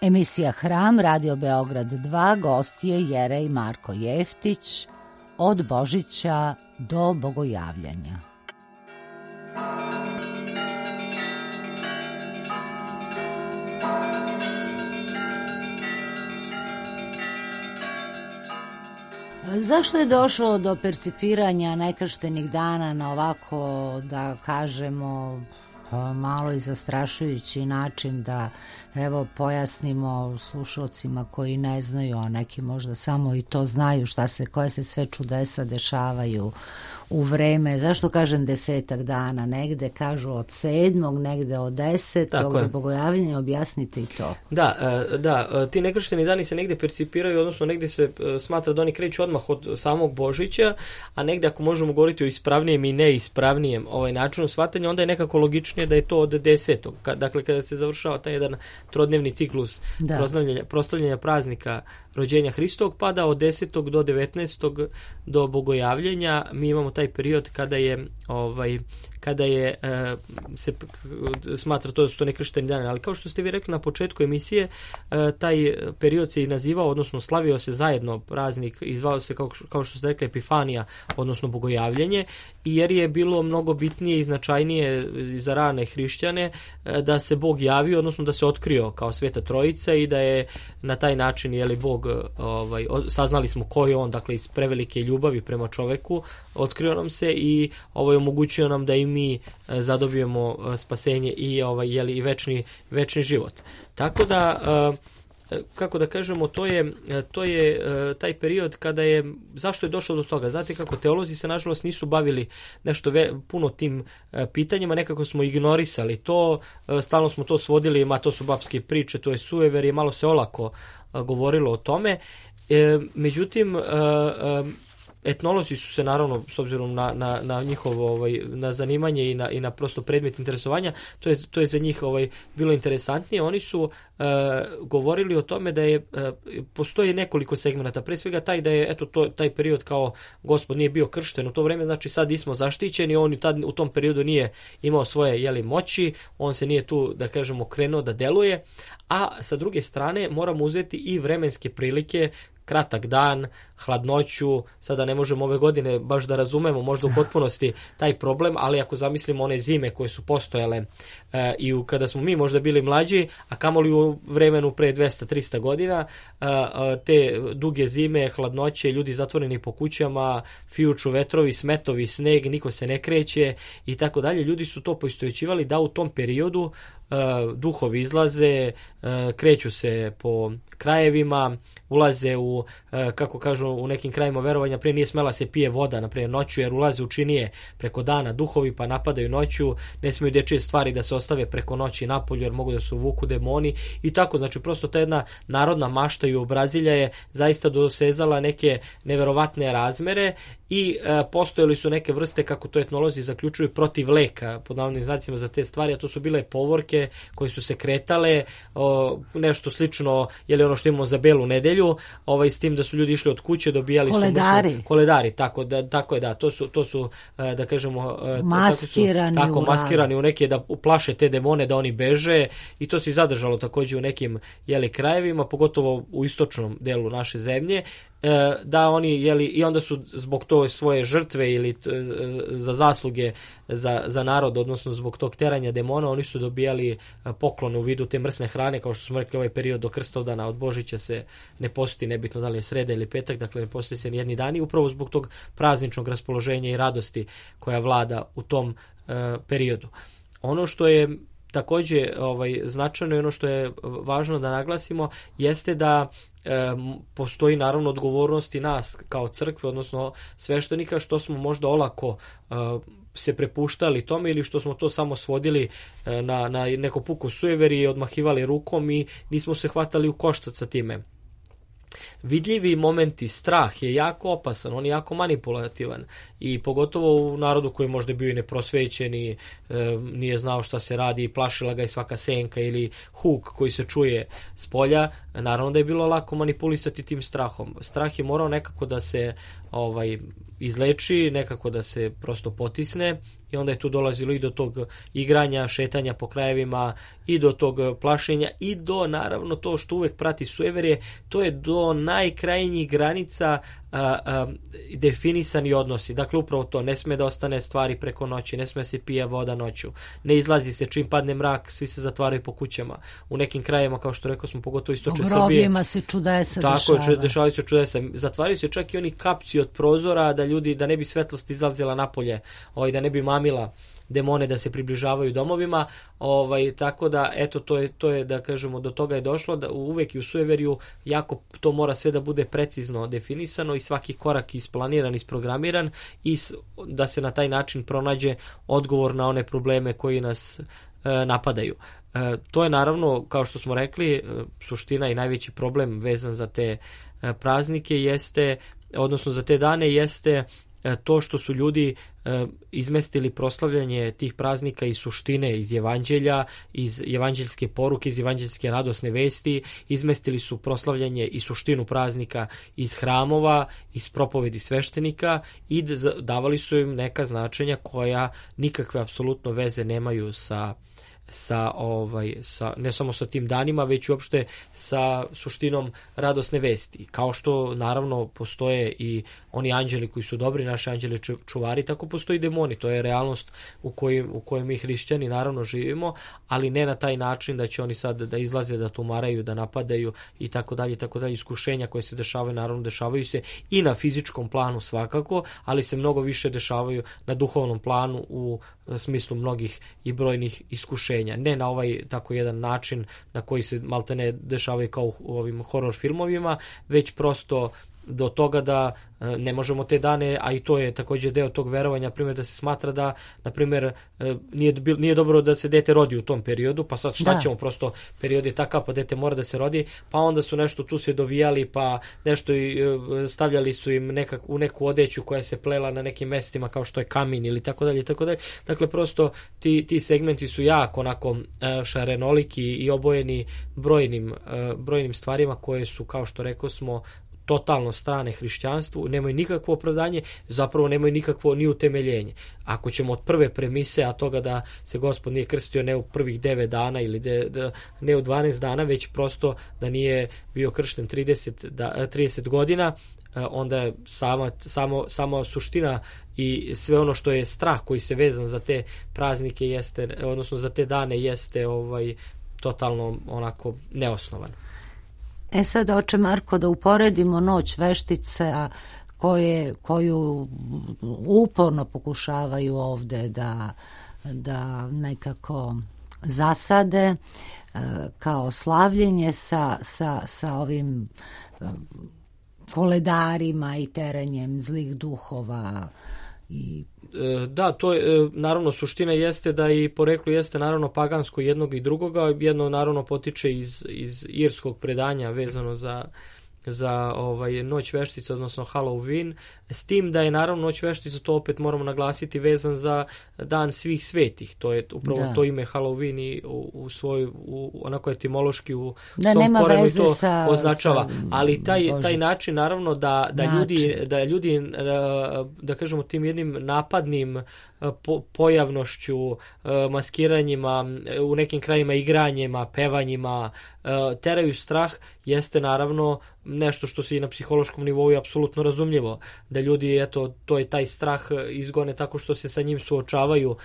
Emisija Hram, Radio Beograd dva, gost je Jerej Marko Jeftić, od Božića do Bogojavljanja. Zašto je došlo do percipiranja nekrštenih dana na ovako, da kažemo, malo i zastrašujući način, da evo pojasnimo slušalcima koji ne znaju, a neki možda samo i to znaju, šta se, koje se sve čudesa dešavaju u vreme, zašto kažem desetak dana, negde kažu od sedmog, negde od desetog, do Bogojavljenja, objasnite i to. Da, da, ti nekršteni dani se negde percipiraju, odnosno negde se smatra da oni kreću odmah od samog Božića, a negde ako možemo govoriti o ispravnijem i neispravnijem ovaj načinu shvatanja, onda je nekako logičnije da je to od desetog. Dakle, kada se završava taj jedan trodnevni ciklus proslavljanja, proslavljanja praznika rođenja Hristovog, pada od desetog do devetnaestog do Bogojavljenja. Mi imamo taj period kada je ovaj kada je e, se smatra to da su to nekršteni dani, ali kao što ste vi rekli na početku emisije, e, taj period se i nazivao, odnosno slavio se zajedno praznik i zvao se, kao, kao što ste rekli, Epifanija, odnosno Bogojavljenje, jer je bilo mnogo bitnije i značajnije za rane hrišćane e, da se Bog javio, odnosno da se otkrio kao Sveta Trojica i da je na taj način, je li Bog, ovaj, saznali smo ko je on, dakle iz prevelike ljubavi prema čoveku, otkrio nam se i ovaj, omogućio nam da i mi zadobijemo spasenje i ovaj je li i večni večni život. Tako da, kako da kažemo, to je to je taj period kada je, zašto je došlo do toga? Znate kako, teolozi se nažalost nisu bavili nešto ve, puno tim pitanjima, nekako smo ignorisali to, stalno smo to svodili, ma to su babske priče, to je sujeverje, malo se olako govorilo o tome. E, međutim, e, etnolozi su se, naravno, s obzirom na, na, na njihovo ovaj, na zanimanje i na, i na prosto predmet interesovanja, to je, to je za njih ovaj, bilo interesantnije. Oni su e, govorili o tome da je e, postoji nekoliko segmenata. Pre svega taj da je eto to, taj period kao Gospod nije bio kršten u to vreme, znači sad nismo zaštićeni, on tad, u tom periodu nije imao svoje jeli, moći, on se nije tu, da kažemo, krenuo da deluje, a sa druge strane moramo uzeti i vremenske prilike, kratak dan, hladnoću. Sada ne možemo ove godine baš da razumemo možda u potpunosti taj problem, ali ako zamislimo one zime koje su postojale e, i u, kada smo mi možda bili mlađi, a kamoli u vremenu pre dvesta trista godina, e, te duge zime, hladnoće, ljudi zatvoreni po kućama, fijuču vetrovi, smetovi, sneg, niko se ne kreće i tako dalje, ljudi su to poistovjećivali da u tom periodu e, duhovi izlaze, e, kreću se po krajevima, ulaze u, kako kažu u nekim krajima verovanja, prije nije smela se pije voda, naprimjer noću, jer ulaze u činije preko dana duhovi pa napadaju noću, ne smiju dječje stvari da se ostave preko noći napolju jer mogu da se uvuku demoni i tako, znači prosto ta jedna narodna mašta i obrazilja je zaista dosezala neke neverovatne razmere i e, postojali su neke vrste, kako to etnolozi zaključuju, protiv leka, pod navodnim znacima za te stvari, a to su bile povorke koje su se kretale, o, nešto slično, je li ono što imamo za Belu nedelju, ovaj, s tim da su ljudi išli od kuće, dobijali koledari. su mrsne, koledari, tako da, tako je, da, to su, to su da kažemo, maskirani, tako, su, tako maskirani u neke da uplaše te demone da oni beže i to se i zadržalo također u nekim jeli, krajevima, pogotovo u istočnom delu naše zemlje, da oni, jeli, i onda su zbog to svoje žrtve ili t, za zasluge za, za narod, odnosno zbog tog teranja demona, oni su dobijali poklon u vidu te mrsne hrane, kao što smo rekli, ovaj period do Krstovdana od Božića se ne posti, nebitno da li je sreda ili petak, dakle ne posti se nijedni dani, upravo zbog tog prazničnog raspoloženja i radosti koja vlada u tom uh, periodu. Ono što je također ovaj, značajno i ono što je važno da naglasimo jeste da e, postoji naravno odgovornost i nas kao crkve, odnosno sveštenika, što smo možda olako e, se prepuštali tome ili što smo to samo svodili e, na, na neko puko sujeverje i odmahivali rukom i nismo se hvatali u koštac sa time. Vidljivi momenti, strah je jako opasan, on je jako manipulativan i pogotovo u narodu koji možda bio i neprosvećen i e, nije znao šta se radi i plašila ga i svaka senka ili huk koji se čuje s polja, naravno da je bilo lako manipulisati tim strahom. Strah je morao nekako da se ovaj izleči, nekako da se prosto potisne, i onda je tu dolazilo i do tog igranja, šetanja po krajevima, i do tog plašenja, i do, naravno, to što uvek prati sujeverje, to je do najkrajnjih granica a, a, definisani odnosi. Dakle, upravo to, ne sme da ostane stvari preko noći, ne sme da se pije voda noću, ne izlazi se, čim padne mrak, svi se zatvaraju po kućama. U nekim krajevima, kao što rekao smo, pogotovo istočne Srbije. U grobljima se čudesa dešava. Tako, dešavaju se čudesa. Zatvaraju se čak i oni kapci od prozora, da ljudi, da ne bi svetlost izlazila napolje, ovaj, da ne bi mamila demone da se približavaju domovima, ovaj, tako da, eto, to je, to je, da kažemo, do toga je došlo, da uvek i u sujeverju jako to mora sve da bude precizno definisano i svaki korak isplaniran, isprogramiran, i da se na taj način pronađe odgovor na one probleme koji nas e, napadaju. E, to je naravno, kao što smo rekli, e, suština i najveći problem vezan za te e, praznike jeste, odnosno za te dane, jeste to što su ljudi e, izmestili proslavljanje tih praznika iz suštine, iz evanđelja, iz evanđeljske poruke, iz evanđeljske radosne vesti, izmestili su proslavljanje i suštinu praznika iz hramova, iz propovedi sveštenika, i davali su im neka značenja koja nikakve apsolutno veze nemaju sa sa ovaj sa ne samo sa tim danima, već uopšte sa suštinom radosne vesti. Kao što naravno postoje i oni anđeli koji su dobri, naši anđeli čuvari, tako postoji demoni. To je realnost u kojoj u kojoj mi hrišćani naravno živimo, ali ne na taj način da će oni sad da izlaze, da tumaraju, da napadaju i tako dalje, tako dalje. Iskušenja koje se dešavaju, naravno dešavaju se i na fizičkom planu svakako, ali se mnogo više dešavaju na duhovnom planu u smislu mnogih i brojnih iskušenja. Ne na ovaj tako jedan način na koji se maltene dešavaju kao u ovim horor filmovima, već prosto do toga da ne možemo te dane, a i to je također deo tog verovanja, primjer da se smatra da, na primjer, nije, nije dobro da se dete rodi u tom periodu, pa sad šta da. ćemo, prosto period je takav, pa dete mora da se rodi, pa onda su nešto tu se dovijali, pa nešto i stavljali su im nekak, u neku odeću koja se plela na nekim mestima kao što je kamin ili tako dalje, tako dalje. Dakle, prosto ti, ti segmenti su jako onako šarenoliki i obojeni brojnim, brojnim stvarima koje su, kao što rekao smo, totalno strane hrišćanstvu, nemaju nikakvo opravdanje, zapravo nemaju nikakvo ni utemeljenje. Ako ćemo od prve premise, a toga da se Gospod nije krstio ne u prvih devet dana ili de, de, ne u dvanaest dana, već prosto da nije bio kršten trideset, da, trideset godina, onda je sama, samo, sama suština i sve ono što je strah koji se vezan za te praznike jeste, odnosno za te dane jeste ovaj, totalno onako neosnovan. E sad, oče Marko, da uporedimo noć veštice koje, koju uporno pokušavaju ovde da, da nekako zasade kao slavljenje sa, sa, sa ovim koledarima i terenjem zlih duhova. I da, to je, naravno, suština jeste da i poreklo jeste naravno pagansko jednog i drugoga. Jedno naravno potiče iz, iz irskog predanja vezano za, za ovaj, noć veštica, odnosno Halloween, s tim da je naravno noć veštica, to opet moramo naglasiti, vezan za dan svih svetih. To je upravo da. to ime Halloween i u, u svoj, u, onako etimološki u da, svom korenu to sa, označava. sa, Ali taj, taj način naravno da, da način. ljudi, da ljudi, da kažemo tim jednim napadnim po, pojavnošću, maskiranjima, u nekim krajima igranjima, pevanjima, teraju strah, jeste naravno nešto što se i na psihološkom nivou je apsolutno razumljivo. Da ljudi, eto, to je taj strah izgone tako što se sa njim suočavaju, uh,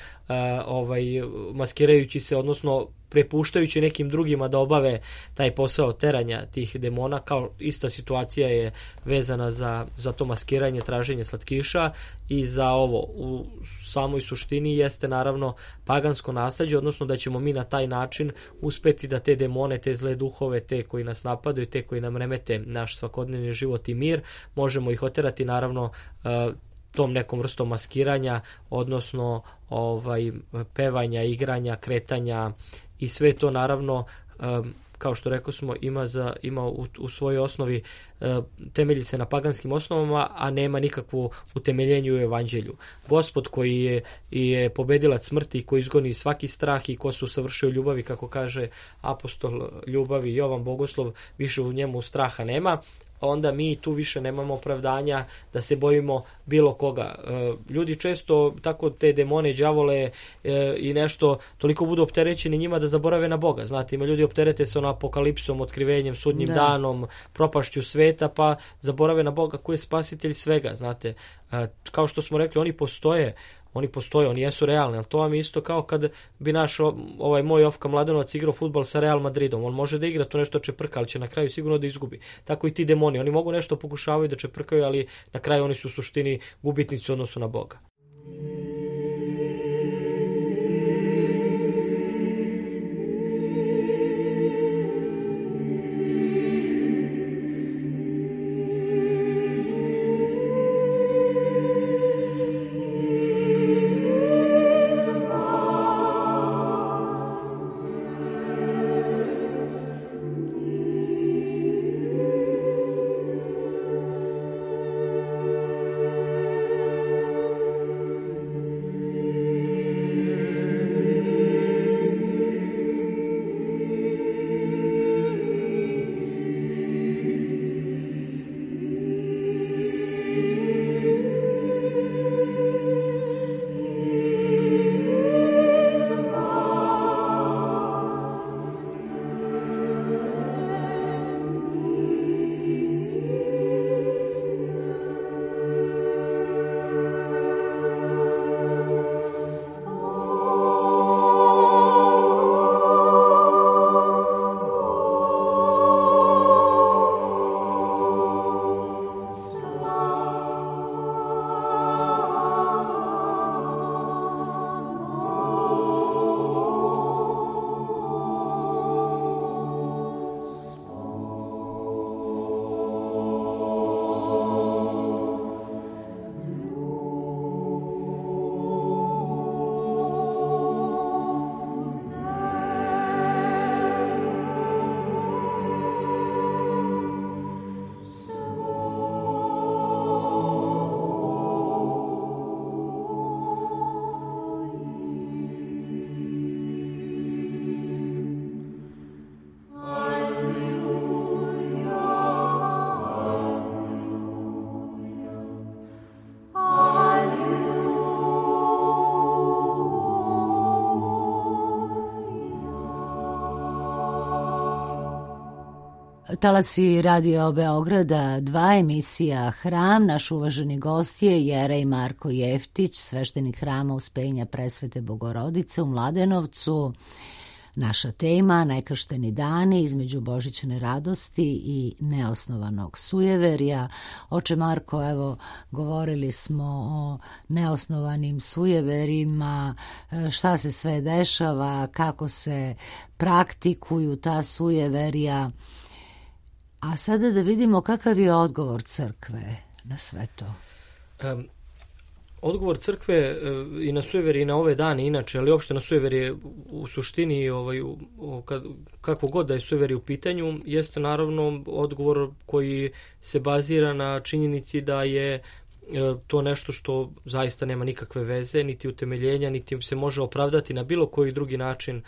ovaj, maskirajući se, odnosno prepuštajući nekim drugima da obave taj posao teranja tih demona. Kao ista situacija je vezana za, za to maskiranje, traženje slatkiša i za ovo. U samoj suštini jeste naravno pagansko nasleđe, odnosno da ćemo mi na taj način uspeti da te demone, te zle duhove, te koji nas napadaju, te koji nam remete naš svakodnevni život i mir, možemo ih oterati naravno tom nekom vrstom maskiranja, odnosno ovaj, pevanja, igranja, kretanja i sve to naravno, kao što rekao smo, ima, za, ima u, u svojoj osnovi, temelji se na paganskim osnovama, a nema nikakvu utemeljenju u evanđelju. Gospod koji je, je pobedilac smrti, koji izgoni svaki strah i ko se usavršio ljubavi, kako kaže apostol ljubavi Jovan Bogoslov, više u njemu straha nema, onda mi tu više nemamo opravdanja da se bojimo bilo koga. Ljudi često tako te demone, đavole i nešto toliko budu opterećeni njima da zaborave na Boga. Znate, ima ljudi opterete se ono apokalipsom, otkrivenjem, sudnjim da. danom, propašću sveta, pa zaborave na Boga koji je spasitelj svega. Znate, kao što smo rekli, oni postoje, oni postoje, oni jesu realni, ali to vam je isto kao kad bi naš ovaj moj Ofka Mladenovac igrao fudbal sa Real Madridom. On može da igra to nešto čeprka, ali će na kraju sigurno da izgubi. Tako i ti demoni, oni mogu nešto pokušavaju da čeprkaju, ali na kraju oni su u suštini gubitnici u odnosu na Boga. Talasi Radio Beograda, dva emisija Hram. Naš uvaženi gost je Jerej Marko Jeftić, sveštenik Hrama Uspenja Presvete Bogorodice u Mladenovcu. Naša tema, nekršteni dani između božićne radosti i neosnovanog sujeverja. Oče Marko, evo, govorili smo o neosnovanim sujeverima, šta se sve dešava, kako se praktikuju ta sujeverja. A sada da vidimo kakav je odgovor crkve na sve to. Um, odgovor crkve uh, i na sujeverje i na ove dane inače, ali uopšte na sujeverje u suštini, ovaj, u, u, kad, kako god da je sujeverje u pitanju, jeste naravno odgovor koji se bazira na činjenici da je uh, to nešto što zaista nema nikakve veze, niti utemeljenja, niti se može opravdati na bilo koji drugi način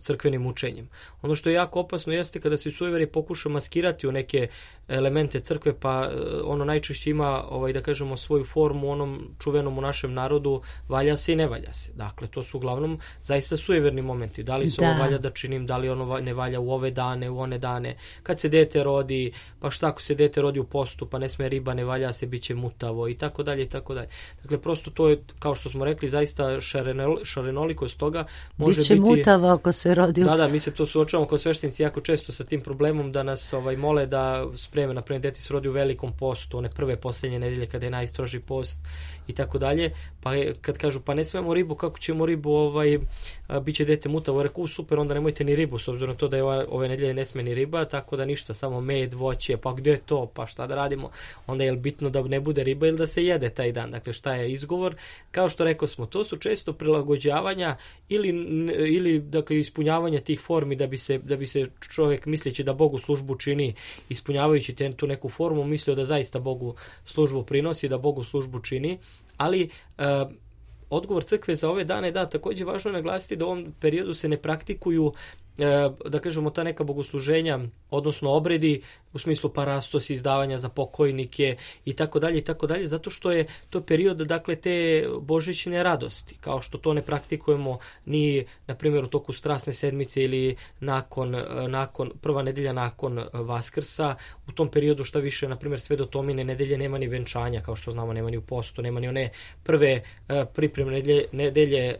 crkvenim učenjem. Ono što je jako opasno jeste kada se sujeverje pokuša maskirati u neke elemente crkve, pa ono najčešće ima, ovaj, da kažemo, svoju formu onom čuvenom u našem narodu, valja se i ne valja se. Dakle, to su uglavnom zaista sujeverni momenti. Da li se da. ovo valja da činim, da li ono ne valja u ove dane, u one dane. Kad se dete rodi, pa šta ako se dete rodi u postu, pa ne sme riba, ne valja se, bit će mutavo i tako dalje i tako dalje. Dakle, prosto to je, kao što smo rekli, zaista šarenol, šarenolikost toga može Biće biti... mutavo ako se rodi u... Da, da, mi se to suočavamo kao sveštenici jako često sa tim problemom da nas ovaj, mole da spreme, na primjer, dete se rodi u velikom postu, one prve posljednje nedelje kada je najstroži post i tako dalje, pa kad kažu pa ne smemo ribu, kako ćemo ribu, ovaj, bit će dete mutavo, reku super, onda nemojte ni ribu, s obzirom na to da je ove, ove nedelje ne sme ni riba, tako da ništa, samo med, voće, pa gdje je to, pa šta da radimo, onda je bitno da ne bude riba ili da se jede taj dan, dakle šta je izgovor, kao što rekao smo, to su često prilagođavanja ili, ili dakle, ispunjavanja tih formi da bi se, da bi se čovjek misleći da Bogu službu čini, ispunjavajući te, tu neku formu, mislio da zaista Bogu službu prinosi, da Bogu službu čini, ali uh, odgovor crkve za ove dane, da, također važno je naglasiti da u ovom periodu se ne praktikuju da kažemo, ta neka bogosluženja, odnosno obredi u smislu parastos, izdavanja za pokojnike i tako dalje i tako dalje, zato što je to period, dakle, te božićne radosti, kao što to ne praktikujemo ni, na primjer, u toku Strasne sedmice ili nakon, nakon prva nedelja nakon Vaskrsa. U tom periodu, šta više, na primjer, sve do Tomine nedelje nema ni venčanja, kao što znamo, nema ni u postu, nema ni one prve pripremne nedelje, nedelje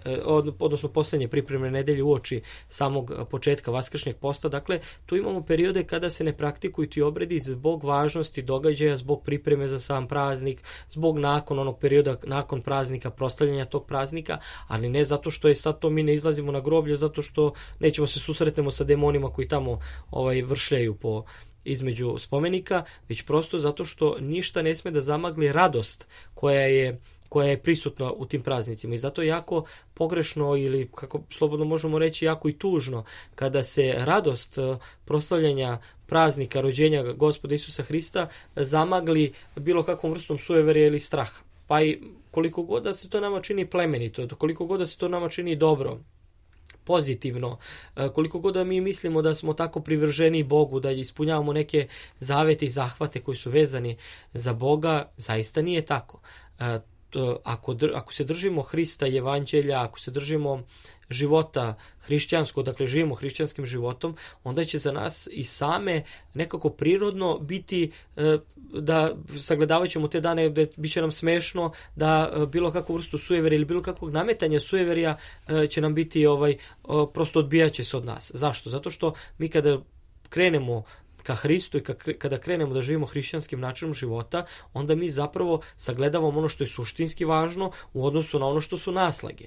odnosno poslednje pripremne nedelje uoči samog početka vaskršnjeg posta. Dakle, tu imamo periode kada se ne praktikuju ti obredi zbog važnosti događaja, zbog pripreme za sam praznik, zbog nakon onog perioda, nakon praznika, proslavljanja tog praznika, ali ne zato što je sad to mi ne izlazimo na groblje, zato što nećemo se susretnemo sa demonima koji tamo ovaj, vršljaju po između spomenika, već prosto zato što ništa ne sme da zamagli radost koja je koja je prisutna u tim praznicima. I zato je jako pogrešno, ili kako slobodno možemo reći, jako i tužno, kada se radost proslavljanja praznika rođenja Gospoda Isusa Hrista zamagli bilo kakvom vrstom sujeverja ili straha. Pa i koliko god da se to nama čini plemenito, koliko god da se to nama čini dobro, pozitivno, koliko god da mi mislimo da smo tako privrženi Bogu, da ispunjavamo neke zavete i zahvate koji su vezani za Boga, zaista nije tako. Ako, ako se držimo Hrista i evanđelja, ako se držimo života hrišćanskog, dakle živimo hrišćanskim životom, onda će za nas i same nekako prirodno biti da sagledavat ćemo te dane, da bit će nam smešno, da bilo kakvu vrstu sujeverja ili bilo kakvog nametanja sujeverja će nam biti ovaj, prosto odbijat će se od nas. Zašto? Zato što mi kada krenemo ka Hristu i kada krenemo da živimo hrišćanskim načinom života, onda mi zapravo sagledavamo ono što je suštinski važno u odnosu na ono što su naslage.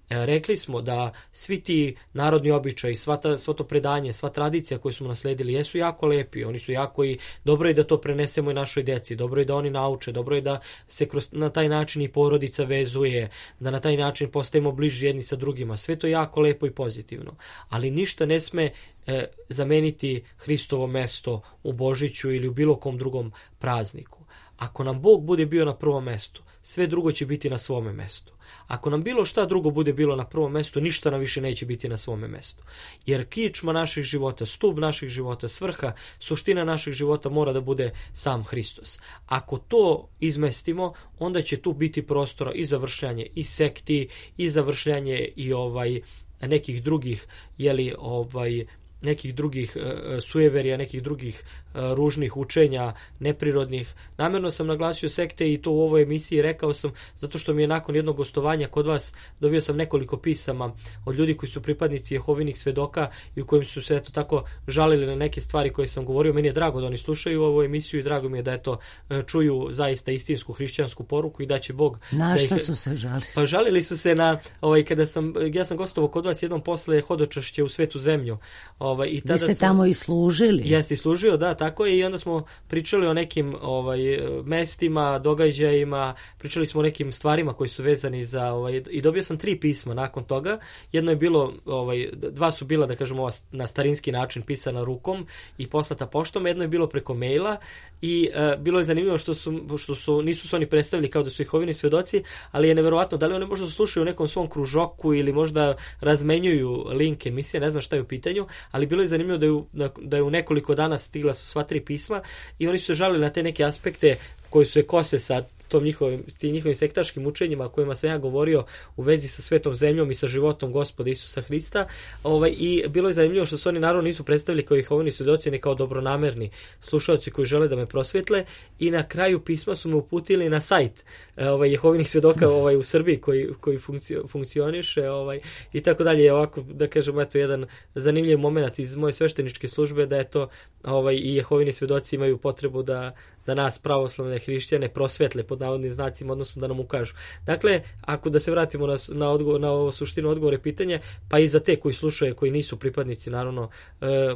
Rekli smo da svi ti narodni običaji, sva, ta, sva to predanje, sva tradicija koju smo nasledili jesu jako lepi, oni su jako i dobro je da to prenesemo i našoj deci, dobro je da oni nauče, dobro je da se kroz, na taj način i porodica vezuje, da na taj način postajemo bliži jedni sa drugima, sve to je jako lepo i pozitivno, ali ništa ne sme e, zameniti Hristovo mesto u Božiću ili u bilo kom drugom prazniku. Ako nam Bog bude bio na prvom mestu, sve drugo će biti na svome mestu. Ako nam bilo šta drugo bude bilo na prvom mestu, ništa nam više neće biti na svome mestu. Jer kičma naših života, stub naših života, svrha, suština naših života mora da bude sam Hristos. Ako to izmestimo, onda će tu biti prostora i za vršljanje i sekti, i za vršljanje i ovaj nekih drugih, jeli, ovaj nekih drugih e, sujeverija, nekih drugih e, ružnih učenja, neprirodnih. Namjerno sam naglasio sekte i to u ovoj emisiji rekao sam zato što mi je nakon jednog gostovanja kod vas dobio sam nekoliko pisama od ljudi koji su pripadnici Jehovinih svedoka i u kojim su se eto tako žalili na neke stvari koje sam govorio. Meni je drago da oni slušaju ovu emisiju i drago mi je da eto čuju zaista istinsku hrišćansku poruku i da će Bog... Na šta ih... su se žalili? Pa žalili su se na, ovaj, kada sam, ja sam gostovao kod vas jednom posle hodočašće u Svetu zemlju. Ovaj, i tada Vi ste smo, tamo i služili. Jeste i služio, da, tako je, i onda smo pričali o nekim ovaj, mestima, događajima, pričali smo o nekim stvarima koji su vezani za, ovaj, i dobio sam tri pisma nakon toga. Jedno je bilo, ovaj, dva su bila, da kažemo, na starinski način pisana rukom i poslata poštom, jedno je bilo preko maila i uh, bilo je zanimljivo što su, što su, nisu se oni predstavili kao da su Jehovini svedoci, ali je neverovatno, da li oni možda slušaju u nekom svom kružoku ili možda razmenjuju link emisije, ne znam šta je u pitanju, ali bilo je zanimljivo da je, u, da je u nekoliko dana stigla su sva tri pisma i oni su se žalili na te neke aspekte koji su se kose sa tom njihovim, njihovim sektaškim učenjima o kojima sam ja govorio u vezi sa svetom zemljom i sa životom Gospoda Isusa Hrista. Ovaj, i bilo je zanimljivo što su oni naravno nisu predstavili kao Jehovini svedoci, ne kao dobronamerni slušaoci koji žele da me prosvetle, i na kraju pisma su me uputili na sajt ovaj, Jehovinih svedoka ovaj, u Srbiji koji, koji funkcio, funkcioniše ovaj, i tako dalje. Ovako, da kažem, eto jedan zanimljiv moment iz moje svešteničke službe, da je to ovaj, i Jehovini svedoci imaju potrebu da, da nas pravoslavne hrišćane prosvetle pod navodnim znacima, odnosno da nam ukažu. Dakle, ako da se vratimo na, na, odgovor, na ovo suštinu odgovore pitanja, pa i za te koji slušaju, koji nisu pripadnici naravno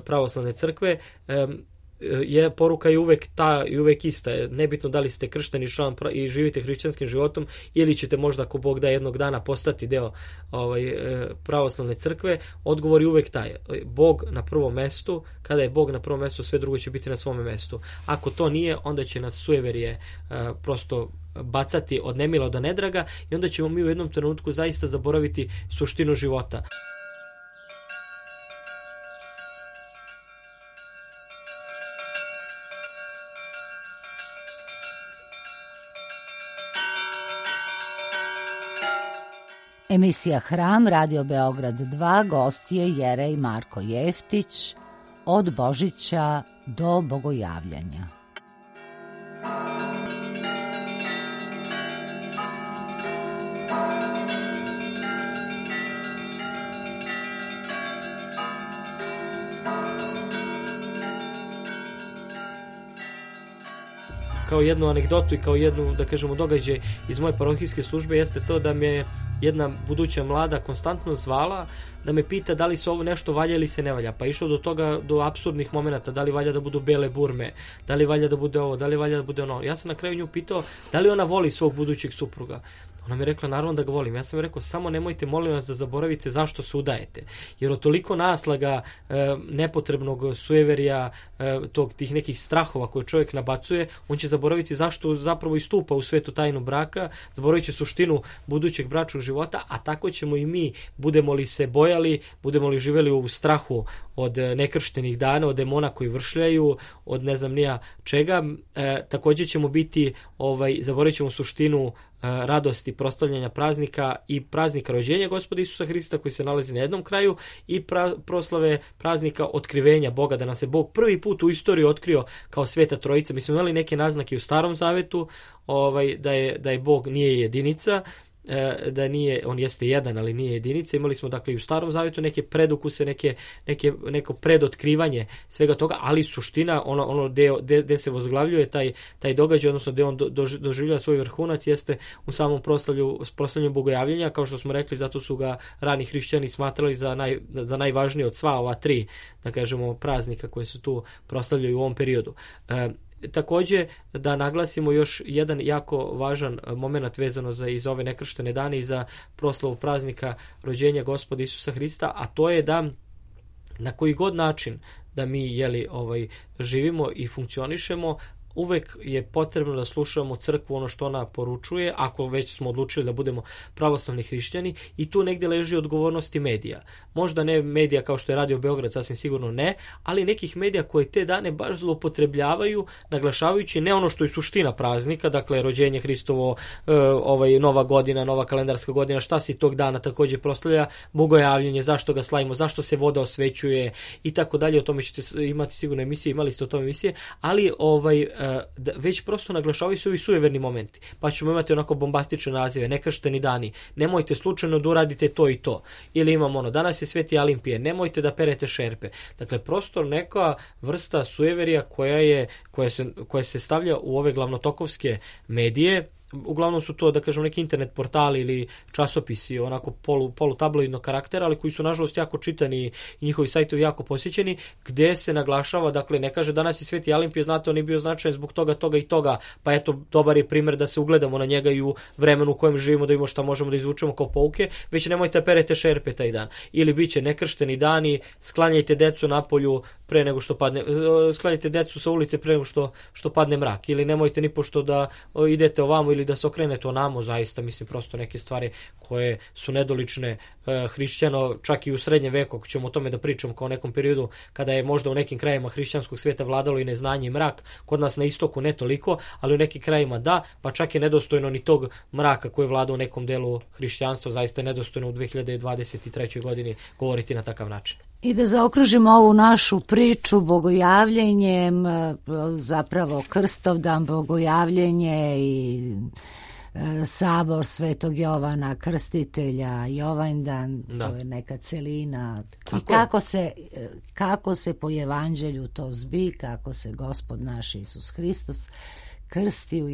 pravoslavne crkve, je poruka je uvek ta i uvek ista. Nebitno da li ste kršteni član i živite hrišćanskim životom ili ćete možda, ako Bog da, jednog dana postati deo ovaj, pravoslavne crkve, odgovor je uvek taj. Bog na prvom mestu, kada je Bog na prvom mestu, sve drugo će biti na svome mestu. Ako to nije, onda će nas sujeverje prosto bacati od nemila do nedraga i onda ćemo mi u jednom trenutku zaista zaboraviti suštinu života. Emisija Hram, Radio Beograd dva, gost je Jerej Marko Jeftić, od Božića do Bogojavljanja. Kao jednu anegdotu i kao jednu, da kažemo, događaj iz moje parohijske službe jeste to da me jedna buduća mlada konstantno zvala da me pita da li se ovo nešto valja ili se ne valja. Pa išlo do toga, do apsurdnih momenata, da li valja da budu bele burme, da li valja da bude ovo, da li valja da bude ono. Ja sam na kraju nju pitao da li ona voli svog budućeg supruga. Ona mi je rekla, naravno da ga volim. Ja sam rekao, samo nemojte, molim vas, da zaboravite zašto se udajete. Jer od toliko naslaga, e, nepotrebnog sujeverja, e, tog, tih nekih strahova koje čovjek nabacuje, on će zaboraviti zašto zapravo istupa u svetu tajnu braka, zaboravit će suštinu budućeg bračnog života, a tako ćemo i mi, budemo li se bojali, budemo li živjeli u strahu od nekrštenih dana, od demona koji vršljaju, od ne znam nija čega, e, također ćemo biti, ovaj, zaboravit ćemo suštinu radosti proslavljanja praznika i praznika rođenja Gospoda Isusa Hrista koji se nalazi na jednom kraju i pra, proslave praznika otkrivenja Boga, da nam se Bog prvi put u istoriji otkrio kao Sveta Trojica. Mi smo imali neke naznake u Starom Zavetu, ovaj, da je, da je Bog nije jedinica, da nije, on jeste jedan, ali nije jedinica. Imali smo dakle i u Starom Zavjetu neke predukuse, neke, neke, neko predotkrivanje svega toga, ali suština, ono, ono gde se vozglavljuje taj, taj događaj, odnosno gde on do, do, doživljava svoj vrhunac, jeste u samom proslavlju, proslavljanju Bogojavljenja, kao što smo rekli, zato su ga rani hrišćani smatrali za, naj, za najvažnije od sva ova tri, da kažemo, praznika koje se tu proslavljaju u ovom periodu. E, Također da naglasimo još jedan jako važan moment vezano za iz ove nekrštene dane i za proslavu praznika rođenja Gospoda Isusa Hrista, a to je da na koji god način da mi jeli, ovaj, živimo i funkcionišemo, uvek je potrebno da slušamo crkvu, ono što ona poručuje, ako već smo odlučili da budemo pravoslavni hrišćani, i tu negdje leži odgovornosti medija. Možda ne medija kao što je Radio Beograd, sasvim sigurno ne, ali nekih medija koje te dane baš zloupotrebljavaju, naglašavajući ne ono što je suština praznika, dakle rođenje Hristovo, ovaj, nova godina, nova kalendarska godina, šta se tog dana također proslavlja, Bogojavljenje, zašto ga slavimo, zašto se voda osvećuje i tako dalje. O tome ćete imati sigurno emisije, imali ste o tome emisije, ali ovaj da već prosto naglašavaju se ovi sujeverni momenti, pa ćemo imati onako bombastične nazive, nekršteni dani, nemojte slučajno da uradite to i to, ili imamo ono, danas je Sveti Alimpije, nemojte da perete šerpe. Dakle, prosto neka vrsta sujeverija koja je, koja se, koja se stavlja u ove glavnotokovske medije. Uglavnom su to, da kažem, neki internet portali ili časopisi onako polu, polu tabloidnog karaktera, ali koji su nažalost jako čitani i njihovi sajtovi jako posjećeni, gdje se naglašava, dakle ne kaže danas je Sveti Alimpije, znate on je bio značajan zbog toga, toga i toga, pa eto dobar je primjer da se ugledamo na njega i u vremenu u kojem živimo, da vidimo šta možemo da izvučemo kao pouke, već nemojte perete šerpe taj dan. Ili bit će nekršteni dani, sklanjajte decu napolju pre nego što padne, sklanjajte decu sa ulice pre nego što, što padne mrak, ili nemojte ni pošto da idete ovamo ili da se okrenete onamo, zaista mislim prosto neke stvari koje su nedolične e, hrišćano, čak i u srednjem veku, ako ćemo o tome da pričamo kao o nekom periodu kada je možda u nekim krajima hrišćanskog svijeta vladalo i neznanje i mrak, kod nas na istoku ne toliko, ali u nekim krajima da, pa čak je nedostojno ni tog mraka koji je vladao u nekom delu hrišćanstva, zaista je nedostojno u dve hiljade dvadeset trećoj godini govoriti na takav način. I da zaokružimo ovu našu priču Bogojavljenjem, zapravo Krstovdan, Bogojavljenje i sabor Svetog Jovana Krstitelja, Jovandan, da. To je neka celina. I kako se, kako se po evanđelju to zbi, kako se Gospod naš Isus Hristos krsti u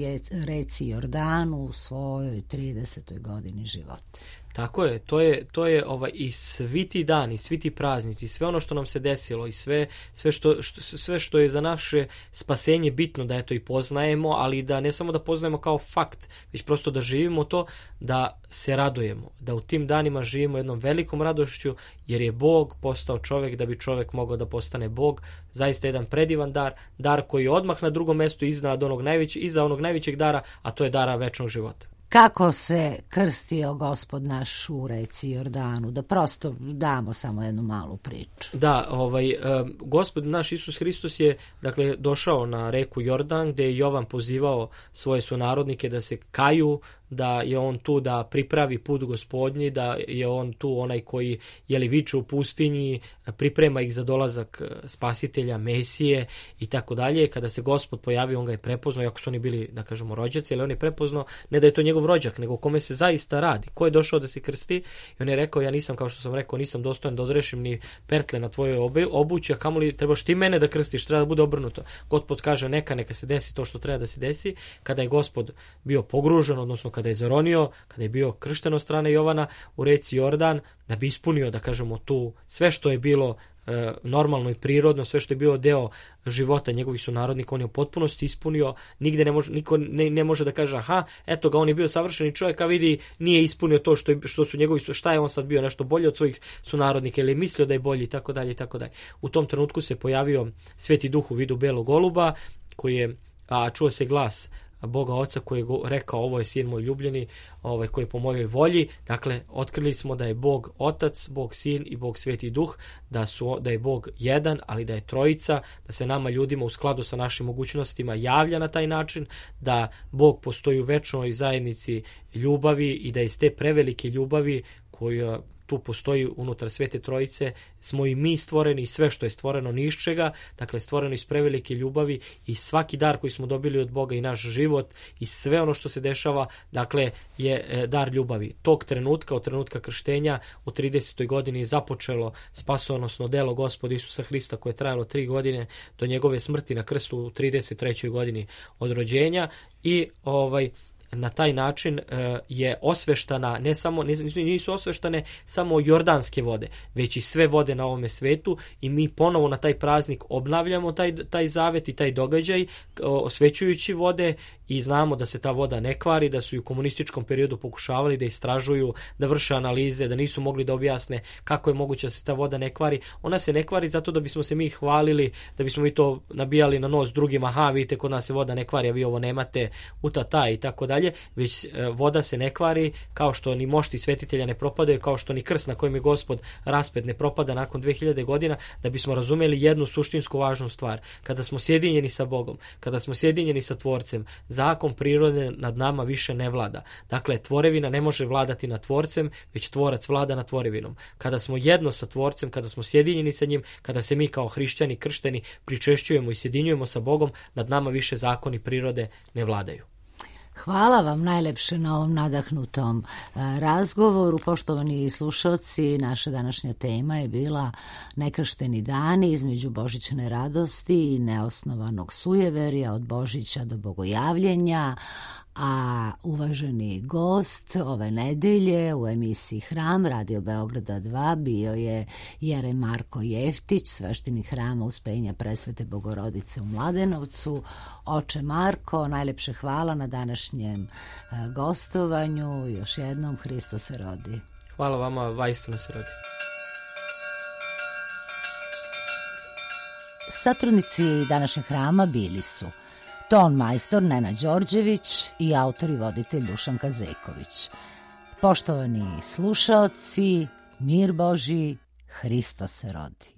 reci Jordanu u svojoj tridesetoj godini života. Tako je, to je, to je ovaj, i svi ti dani, svi ti praznici, sve ono što nam se desilo i sve, sve, što, što, sve što je za naše spasenje bitno da eto i poznajemo, ali da ne samo da poznajemo kao fakt, već prosto da živimo to, da se radujemo, da u tim danima živimo jednom velikom radošću, jer je Bog postao čovjek da bi čovjek mogao da postane Bog. Zaista jedan predivan dar, dar koji je odmah na drugom mjestu iznad onog najvećeg, iza onog najvećeg dara, a to je dara večnog života. kako se krstio Gospod naš u reci Jordanu, da prosto damo samo jednu malu priču. Da, ovaj, Gospod naš Isus Hristos je dakle došao na reku Jordan gdje je Jovan pozivao svoje sunarodnike da se kaju, da je on tu da pripravi put Gospodnji, da je on tu onaj koji je li viče u pustinji, priprema ih za dolazak spasitelja, Mesije i tako dalje. Kada se Gospod pojavio, on ga je prepoznao, iako su oni bili, da kažemo, rođaci, ali on je prepoznao ne da je to njegov rođak, nego o kome se zaista radi. Ko je došao da se krsti? I on je rekao, ja nisam, kao što sam rekao, nisam dostojan da odrešim ni pertle na tvojoj obući, a kamoli trebaš ti mene da krstiš, treba da bude obrnuto. Gospod kaže, neka, neka se desi to što treba da se desi. Kada je Gospod bio pogružen, odnosno kada je zaronio, kada je bio kršten od strane Jovana u reci Jordan, da bi ispunio, da kažemo, tu sve što je bilo e, normalno i prirodno, sve što je bilo deo života njegovih sunarodnika, on je u potpunosti ispunio. Nigde ne može, niko ne, ne može da kaže, aha, eto ga, on je bio savršeni čovjek, a vidi, nije ispunio to što, je, što su njegovi, šta je on sad bio, nešto bolje od svojih sunarodnika ili je mislio da je bolji i tako dalje i tako dalje. U tom trenutku se pojavio Sveti Duh u vidu belog goluba, koji je, a čuo se glas Boga Oca koji je rekao, ovo je sin moj ljubljeni, ovaj, koji je po mojoj volji. Dakle, otkrili smo da je Bog Otac, Bog Sin i Bog Sveti Duh, da, su, da je Bog jedan, ali da je trojica, da se nama ljudima u skladu sa našim mogućnostima javlja na taj način, da Bog postoji u večnoj zajednici ljubavi i da iz te prevelike ljubavi koja tu postoji unutar Svete Trojice, smo i mi stvoreni i sve što je stvoreno ni iz čega, dakle stvoreno iz prevelike ljubavi i svaki dar koji smo dobili od Boga i naš život i sve ono što se dešava, dakle je dar ljubavi. Tog trenutka, od trenutka krštenja u tridesetoj godini je započelo spasonosno delo Gospoda Isusa Hrista koje je trajalo tri godine do njegove smrti na krstu u trideset trećoj godini od rođenja i ovaj na taj način uh, je osveštana, ne samo, nisu, nisu osveštane samo jordanske vode, već i sve vode na ovome svetu i mi ponovo na taj praznik obnavljamo taj, taj zavet i taj događaj uh, osvećujući vode i znamo da se ta voda ne kvari, da su i u komunističkom periodu pokušavali da istražuju, da vrše analize, da nisu mogli da objasne kako je moguće da se ta voda ne kvari. Ona se ne kvari zato da bismo se mi hvalili, da bismo mi to nabijali na nos drugima, aha, vidite, kod nas se voda ne kvari, a vi ovo nemate, utata i tako dalje, već voda se ne kvari kao što ni mošti svetitelja ne propadaju, kao što ni krst na kojem je Gospod raspet ne propada nakon dve hiljade godina, da bismo razumjeli jednu suštinsku važnu stvar. Kada smo sjedinjeni sa Bogom, kada smo sjedinjeni sa Tvorcem, zakon prirode nad nama više ne vlada. Dakle, tvorevina ne može vladati nad Tvorcem, već Tvorac vlada nad tvorevinom. Kada smo jedno sa Tvorcem, kada smo sjedinjeni sa njim, kada se mi kao hrišćani kršteni pričešćujemo i sjedinjujemo sa Bogom, nad nama više zakoni prirode ne vladaju. Hvala vam najlepše na ovom nadahnutom razgovoru. Poštovani slušalci, naša današnja tema je bila nekršteni dani između božićne radosti i neosnovanog sujeverja od Božića do bogojavljenja, a uvaženi gost ove nedelje u emisiji Hram Radio Beograda dva bio je Jerej Marko Jeftić, sveštenik Hrama Uspenja Presvete Bogorodice u Mladenovcu. Oče Marko, najlepše hvala na današnjem gostovanju. Još jednom, Hristos se rodi. Hvala vama, vaistinu se rodi. Satrudnici današnjeg Hrama bili su ton majstor Nenad Đorđević i autor i voditelj Dušan Kazeković. Poštovani slušaoci, mir Božji, Hristos se rodi.